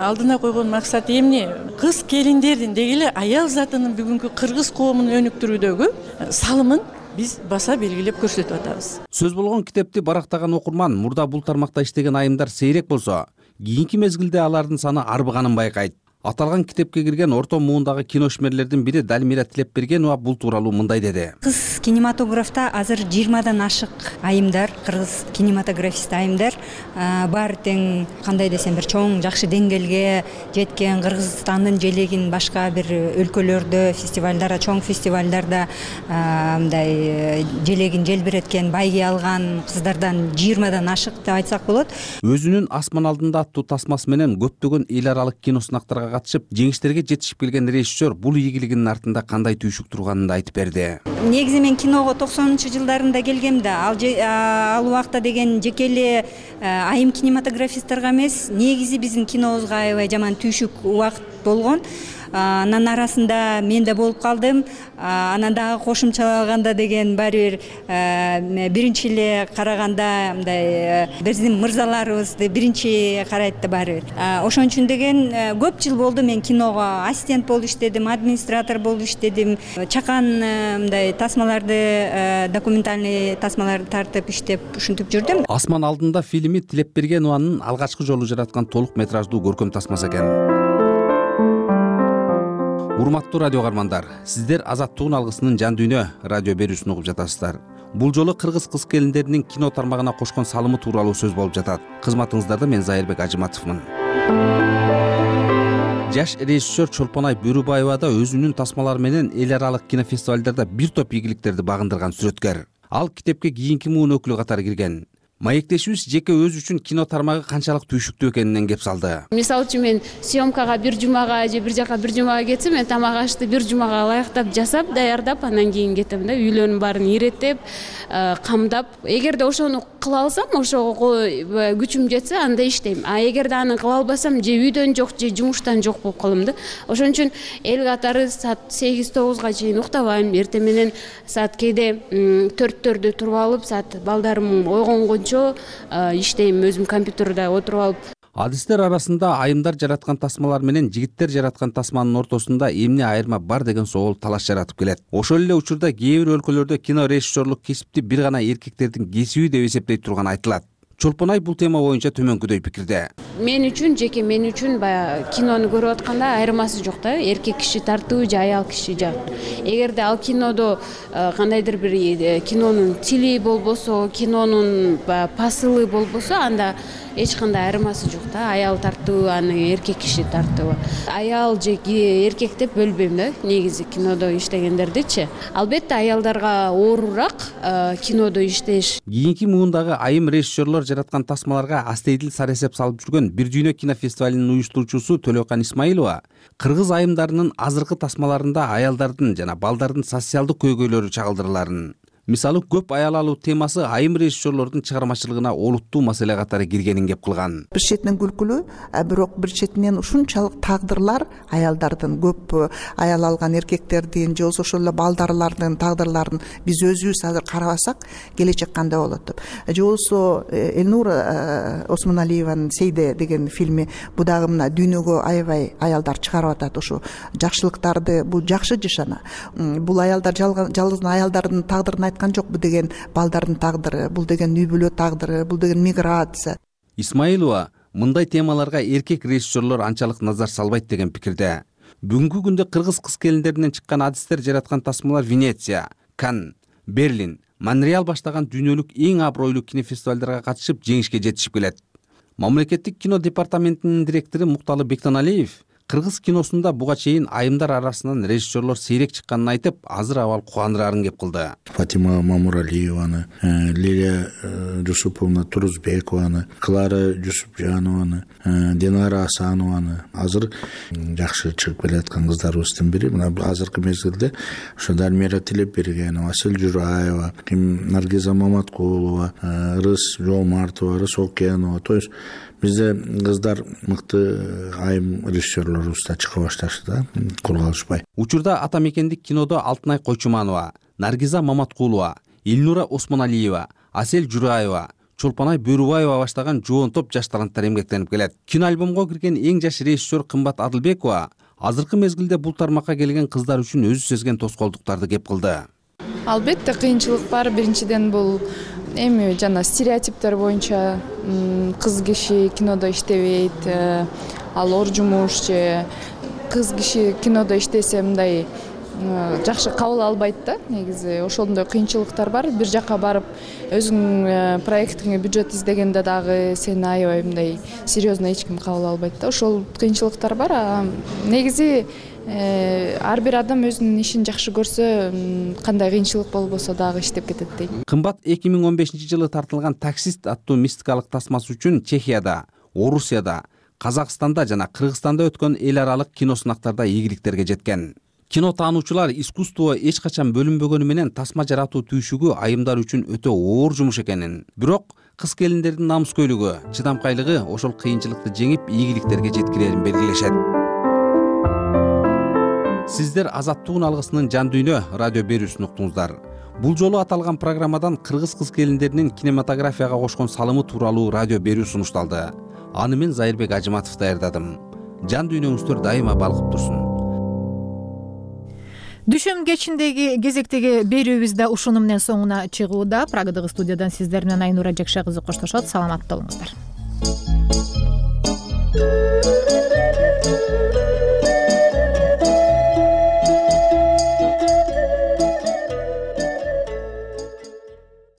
[SPEAKER 18] алдына койгон максаты эмне? Кыз келиндердин деги эле аял затынын бүгүнкү кыргыз коомун өнүктүрүүдөгү салымын биз баса белгилеп көрсөтүп атабыз.
[SPEAKER 5] Сөз болгон китепти барактаган окурман мурда бул тармакта иштеген айымдар сейрек болсо, кийинки мезгилде алардын саны арбыганын байкайт. Аталган китепке кирген орто муундагы киношмерлердин бири Далмира Тилепбергенова бул тууралуу мындай деди.
[SPEAKER 19] Кыз кинематографта азыр жыйырмадан ашык айымдар, кыргыз кинематографист айымдар бар, тең кандай десем бир чоң жакшы деңгээлге жеткен, Кыргызстандын желегин башка бир өлкөлөрдө, фестивалдарда, чоң фестивалдарда мындай желегин желбиреткен, байгий алган кыздардан жыйырмадан ашык деп айтсак болот.
[SPEAKER 5] Өзүнүн Асман алдында аттуу тасмасы менен көптөгөн эл аралык киносунактарга катышып, жеңиштерге жетишип келген режиссер бул ийгилигинин артында кандай түйшүк турганын да айтып берди.
[SPEAKER 19] Негизи мен киного токсонунчу жылдарында келгем да, ал ал убакта деген жеке эле айым кинематографисттарга эмес, негизи биздин кинобузга аябай жаман түйшүк убакыт болгон. Анын арасында мен да болуп калдым. Анан дагы кошумчалаганда деген баары бир биринчи эле караганда мындай биздин мырзаларыбызды биринчи карайт да баары бир. Ошон үчүн деген көп жыл болду мен киного ассистент болуп иштедим, администратор болуп иштедим. Чакан мындай тасмаларды, документальный тасмаларды тартып иштеп ушинтип жүрдүм.
[SPEAKER 5] Асман алдында фильми Тилепбергенованын алгачкы жолу жараткан толук метраждуу көркөм тасмасы экен. Урматтуу радио каармандар, сиздер Азаттыгын алгысынын жан дүйнө радио берүүсүн угуп жатасыздар. Бул жолу кыргыз кыз келиндеринин кино тармагына кошкон салымы тууралуу сөз болуп жатат. Кызматыңыздарда мен Зайырбек Ажыматовмун. Жаш режиссер Чолпонай Бөрүбаева да өзүнүн тасмалары менен эл аралык кинофестивалдарда бир топ ийгиликтерди багындырган сүрөткөр. Ал китепке кийинки муун өкүлү катары кирген. Маектешибиз жеке өзү үчүн кино тармагы канчалык түйшүктүү экенинен кеп салды.
[SPEAKER 15] Мисалы үчүн мен съемкага бир жумага же бир жака бир жумага кетсем, мен тамак ашты бир жумага ылайыктап жасап, даярдап, андан кийин кетем да, үйлөрүнүн баарын иреттеп, камдап. Эгерде ошону кыла алсам, ошого күчүм жетсе, анда иштейм. А эгерде аны кыла албасам, же үйдөн жок, же жумуштан жок болуп калам да. Ошон үчүн эл катары саат сегиз тогузга чейин уктабайм. Эртең менен саат кээде төрттөрдө туруп алып, саат балдарым ойгонгончо иштейм, өзүм компьютерде отуруп алып.
[SPEAKER 5] Адистер арасында айымдар жараткан тасмалар менен жигиттер жараткан тасманын ортосунда эмне айырма бар деген соол талаш жаратып келет. Ошол эле учурда кээ бир өлкөлөрдө кино режиссерлук кесипти бир гана эркектердин кесиби деп эсептей турган айтылат. Чолпонай бул тема боюнча төмөнкүдөй пикирде.
[SPEAKER 15] Мен үчүн, жеке мен үчүн баягы кинону көрүп атканда айырмасы жок да, эркек киши тартуу же аял киши жак. Эгерде ал кинодо кандайдыр бир кинонун тили болбосо, кинонун посылы болбосо, анда эч кандай айырмасы жок да. Аял тартуу, аны эркек киши тартуу. Аял же эркек деп бөлбөйм да, негизи кинодо иштегендердичи. Албетте аялдарга оорураак кинодо иштеш.
[SPEAKER 5] Кийинки муундагы айым режиссерлор жараткан тасмаларга астейдил сары эсеп салып жүргөн Бир дүйнө кинофестивалынын уюштуруучусу Төлөкан Исмаилова кыргыз айымдарынын азыркы тасмаларында аялдардын жана балдардын социалдык көйгөйлөрү чагылдырыларын, мисалы көп аял алуу темасы айым режиссерлордун чыгармачылыгына олуттуу маселе катары киргенин кеп кылган.
[SPEAKER 20] Бир четинен күлкүлүү, бирок бир четинен ушунчалык тагдырлар аялдардын, көп аял алган эркектердин же болбосо ошол эле балдарлардын тагдырларын биз өзүбүз азыр карабасак, келечек кандай болот деп. Же болбосо Элнур Осмоналиеванын Сейде деген фильми, бул дагы мына дүйнөгө аябай аялдар чыгарып атат ушу жакшылыктарды, бул жакшы жашана. Бул аялдар жалгыз аялдардын тагдырын айткан жок, бул деген балдардын тагдыры, бул деген үй бүлө тагдыры, бул деген миграция.
[SPEAKER 5] Исмаилова мындай темаларга эркек режиссерлор анчалык назар салбайт деген пикирде. Бүгүнкү күндө кыргыз кыз келиндеринен чыккан адистер жараткан тасмалар Венеция, Канн, Берлин, Монреаль баштаган дүйнөлүк эң абройлуу кинофестивалдарга катышып жеңишке жетишип келет. Мамлекеттик кино департаментинин директору Мукталы Бектаналиев кыргыз киносунда буга чейин айымдар арасынан режиссерлор сейрек чыкканын айтып, азыр абал кубандырарын кеп кылды.
[SPEAKER 21] Фатима Мамуралиеваны, Лилия Жусуповна Турузбекованы, Клара Жусупжанованы, Динара Асанованы азыр жакшы чыгып келаткан кыздарыбыздын бири. Мына азыркы мезгилде ошо Дармира Тилепбергенова, Асель Жураева, Наргиза Маматкулова, Рыс Жоомартова, Рыс Окенова. То есть бизде кыздар мыкты айым режиссерлорубуз да чыга башташты да, колго алышпай.
[SPEAKER 5] Учурда ата мекендик кинодо Алтынай Койчуманова, Наргиза Маматкулова, Илнура Осмоналиева, Асель Жураева, Чолпонай Бөрүбаева баштаган жоон топ жаш таланттар эмгектенип келет. Киноальбомго кирген эң жаш режиссер Кымбат Адылбекова азыркы мезгилде бул тармакка келген кыздар үчүн өзү сезген тоскоолдуктарды кеп кылды.
[SPEAKER 13] Албетте кыйынчылык бар. Биринчиден бул эми жана стереотиптер боюнча кыз киши кинодо иштебейт, ал ор жумуш же кыз киши кинодо иштесе мындай жакшы кабыл албайт да. Негизи ошондой кыйынчылыктар бар. Бир жакка барып өзүң проектиңе бюджет издегенде дагы сени аябай мындай серьезно эч ким кабыл албайт да. Ошол кыйынчылыктар бар. Негизи ар бир адам өзүнүн ишин жакшы көрсө, кандай кыйынчылык болбосо дагы иштеп кетет дейт.
[SPEAKER 5] Кымбат эки миң он бешинчи жылы тартылган «Таксист» аттуу мистикалык тасмасы үчүн Чехияда, Орусияда, Казакстанда жана Кыргызстанда өткөн эл аралык кино сынактарда ийгиликтерге жеткен. Кино таануучулар искусство эч качан бөлүнбөгөнү менен тасма жаратуу түйшүгү айымдар үчүн өтө оор жумуш экенин, бирок кыз келиндердин намыскөйлүгү, чыдамкайлыгы ошол кыйынчылыкты жеңип ийгиликтерге жеткирерин белгилешет. Сиздер Азаттыгын алгысынын жан дүйнө радио берүүсүн уктуңуздар. Бул жолу аталган программадан кыргыз кыз келиндеринин кинематографияга кошкон салымы тууралуу радио берүү сунушталды. Аны мен Зайырбек Ажыматов даярдадым. Жан дүйнөңүздөр дайыма балкып турсун.
[SPEAKER 1] Дүшүм кечиндеги кезектеги берүүбүз да ушуну менен соңуна чыгууда. Прагадагы студиядан сиздер менен Айнура Жекше кызы коштошот. Саламатта болуңуздар.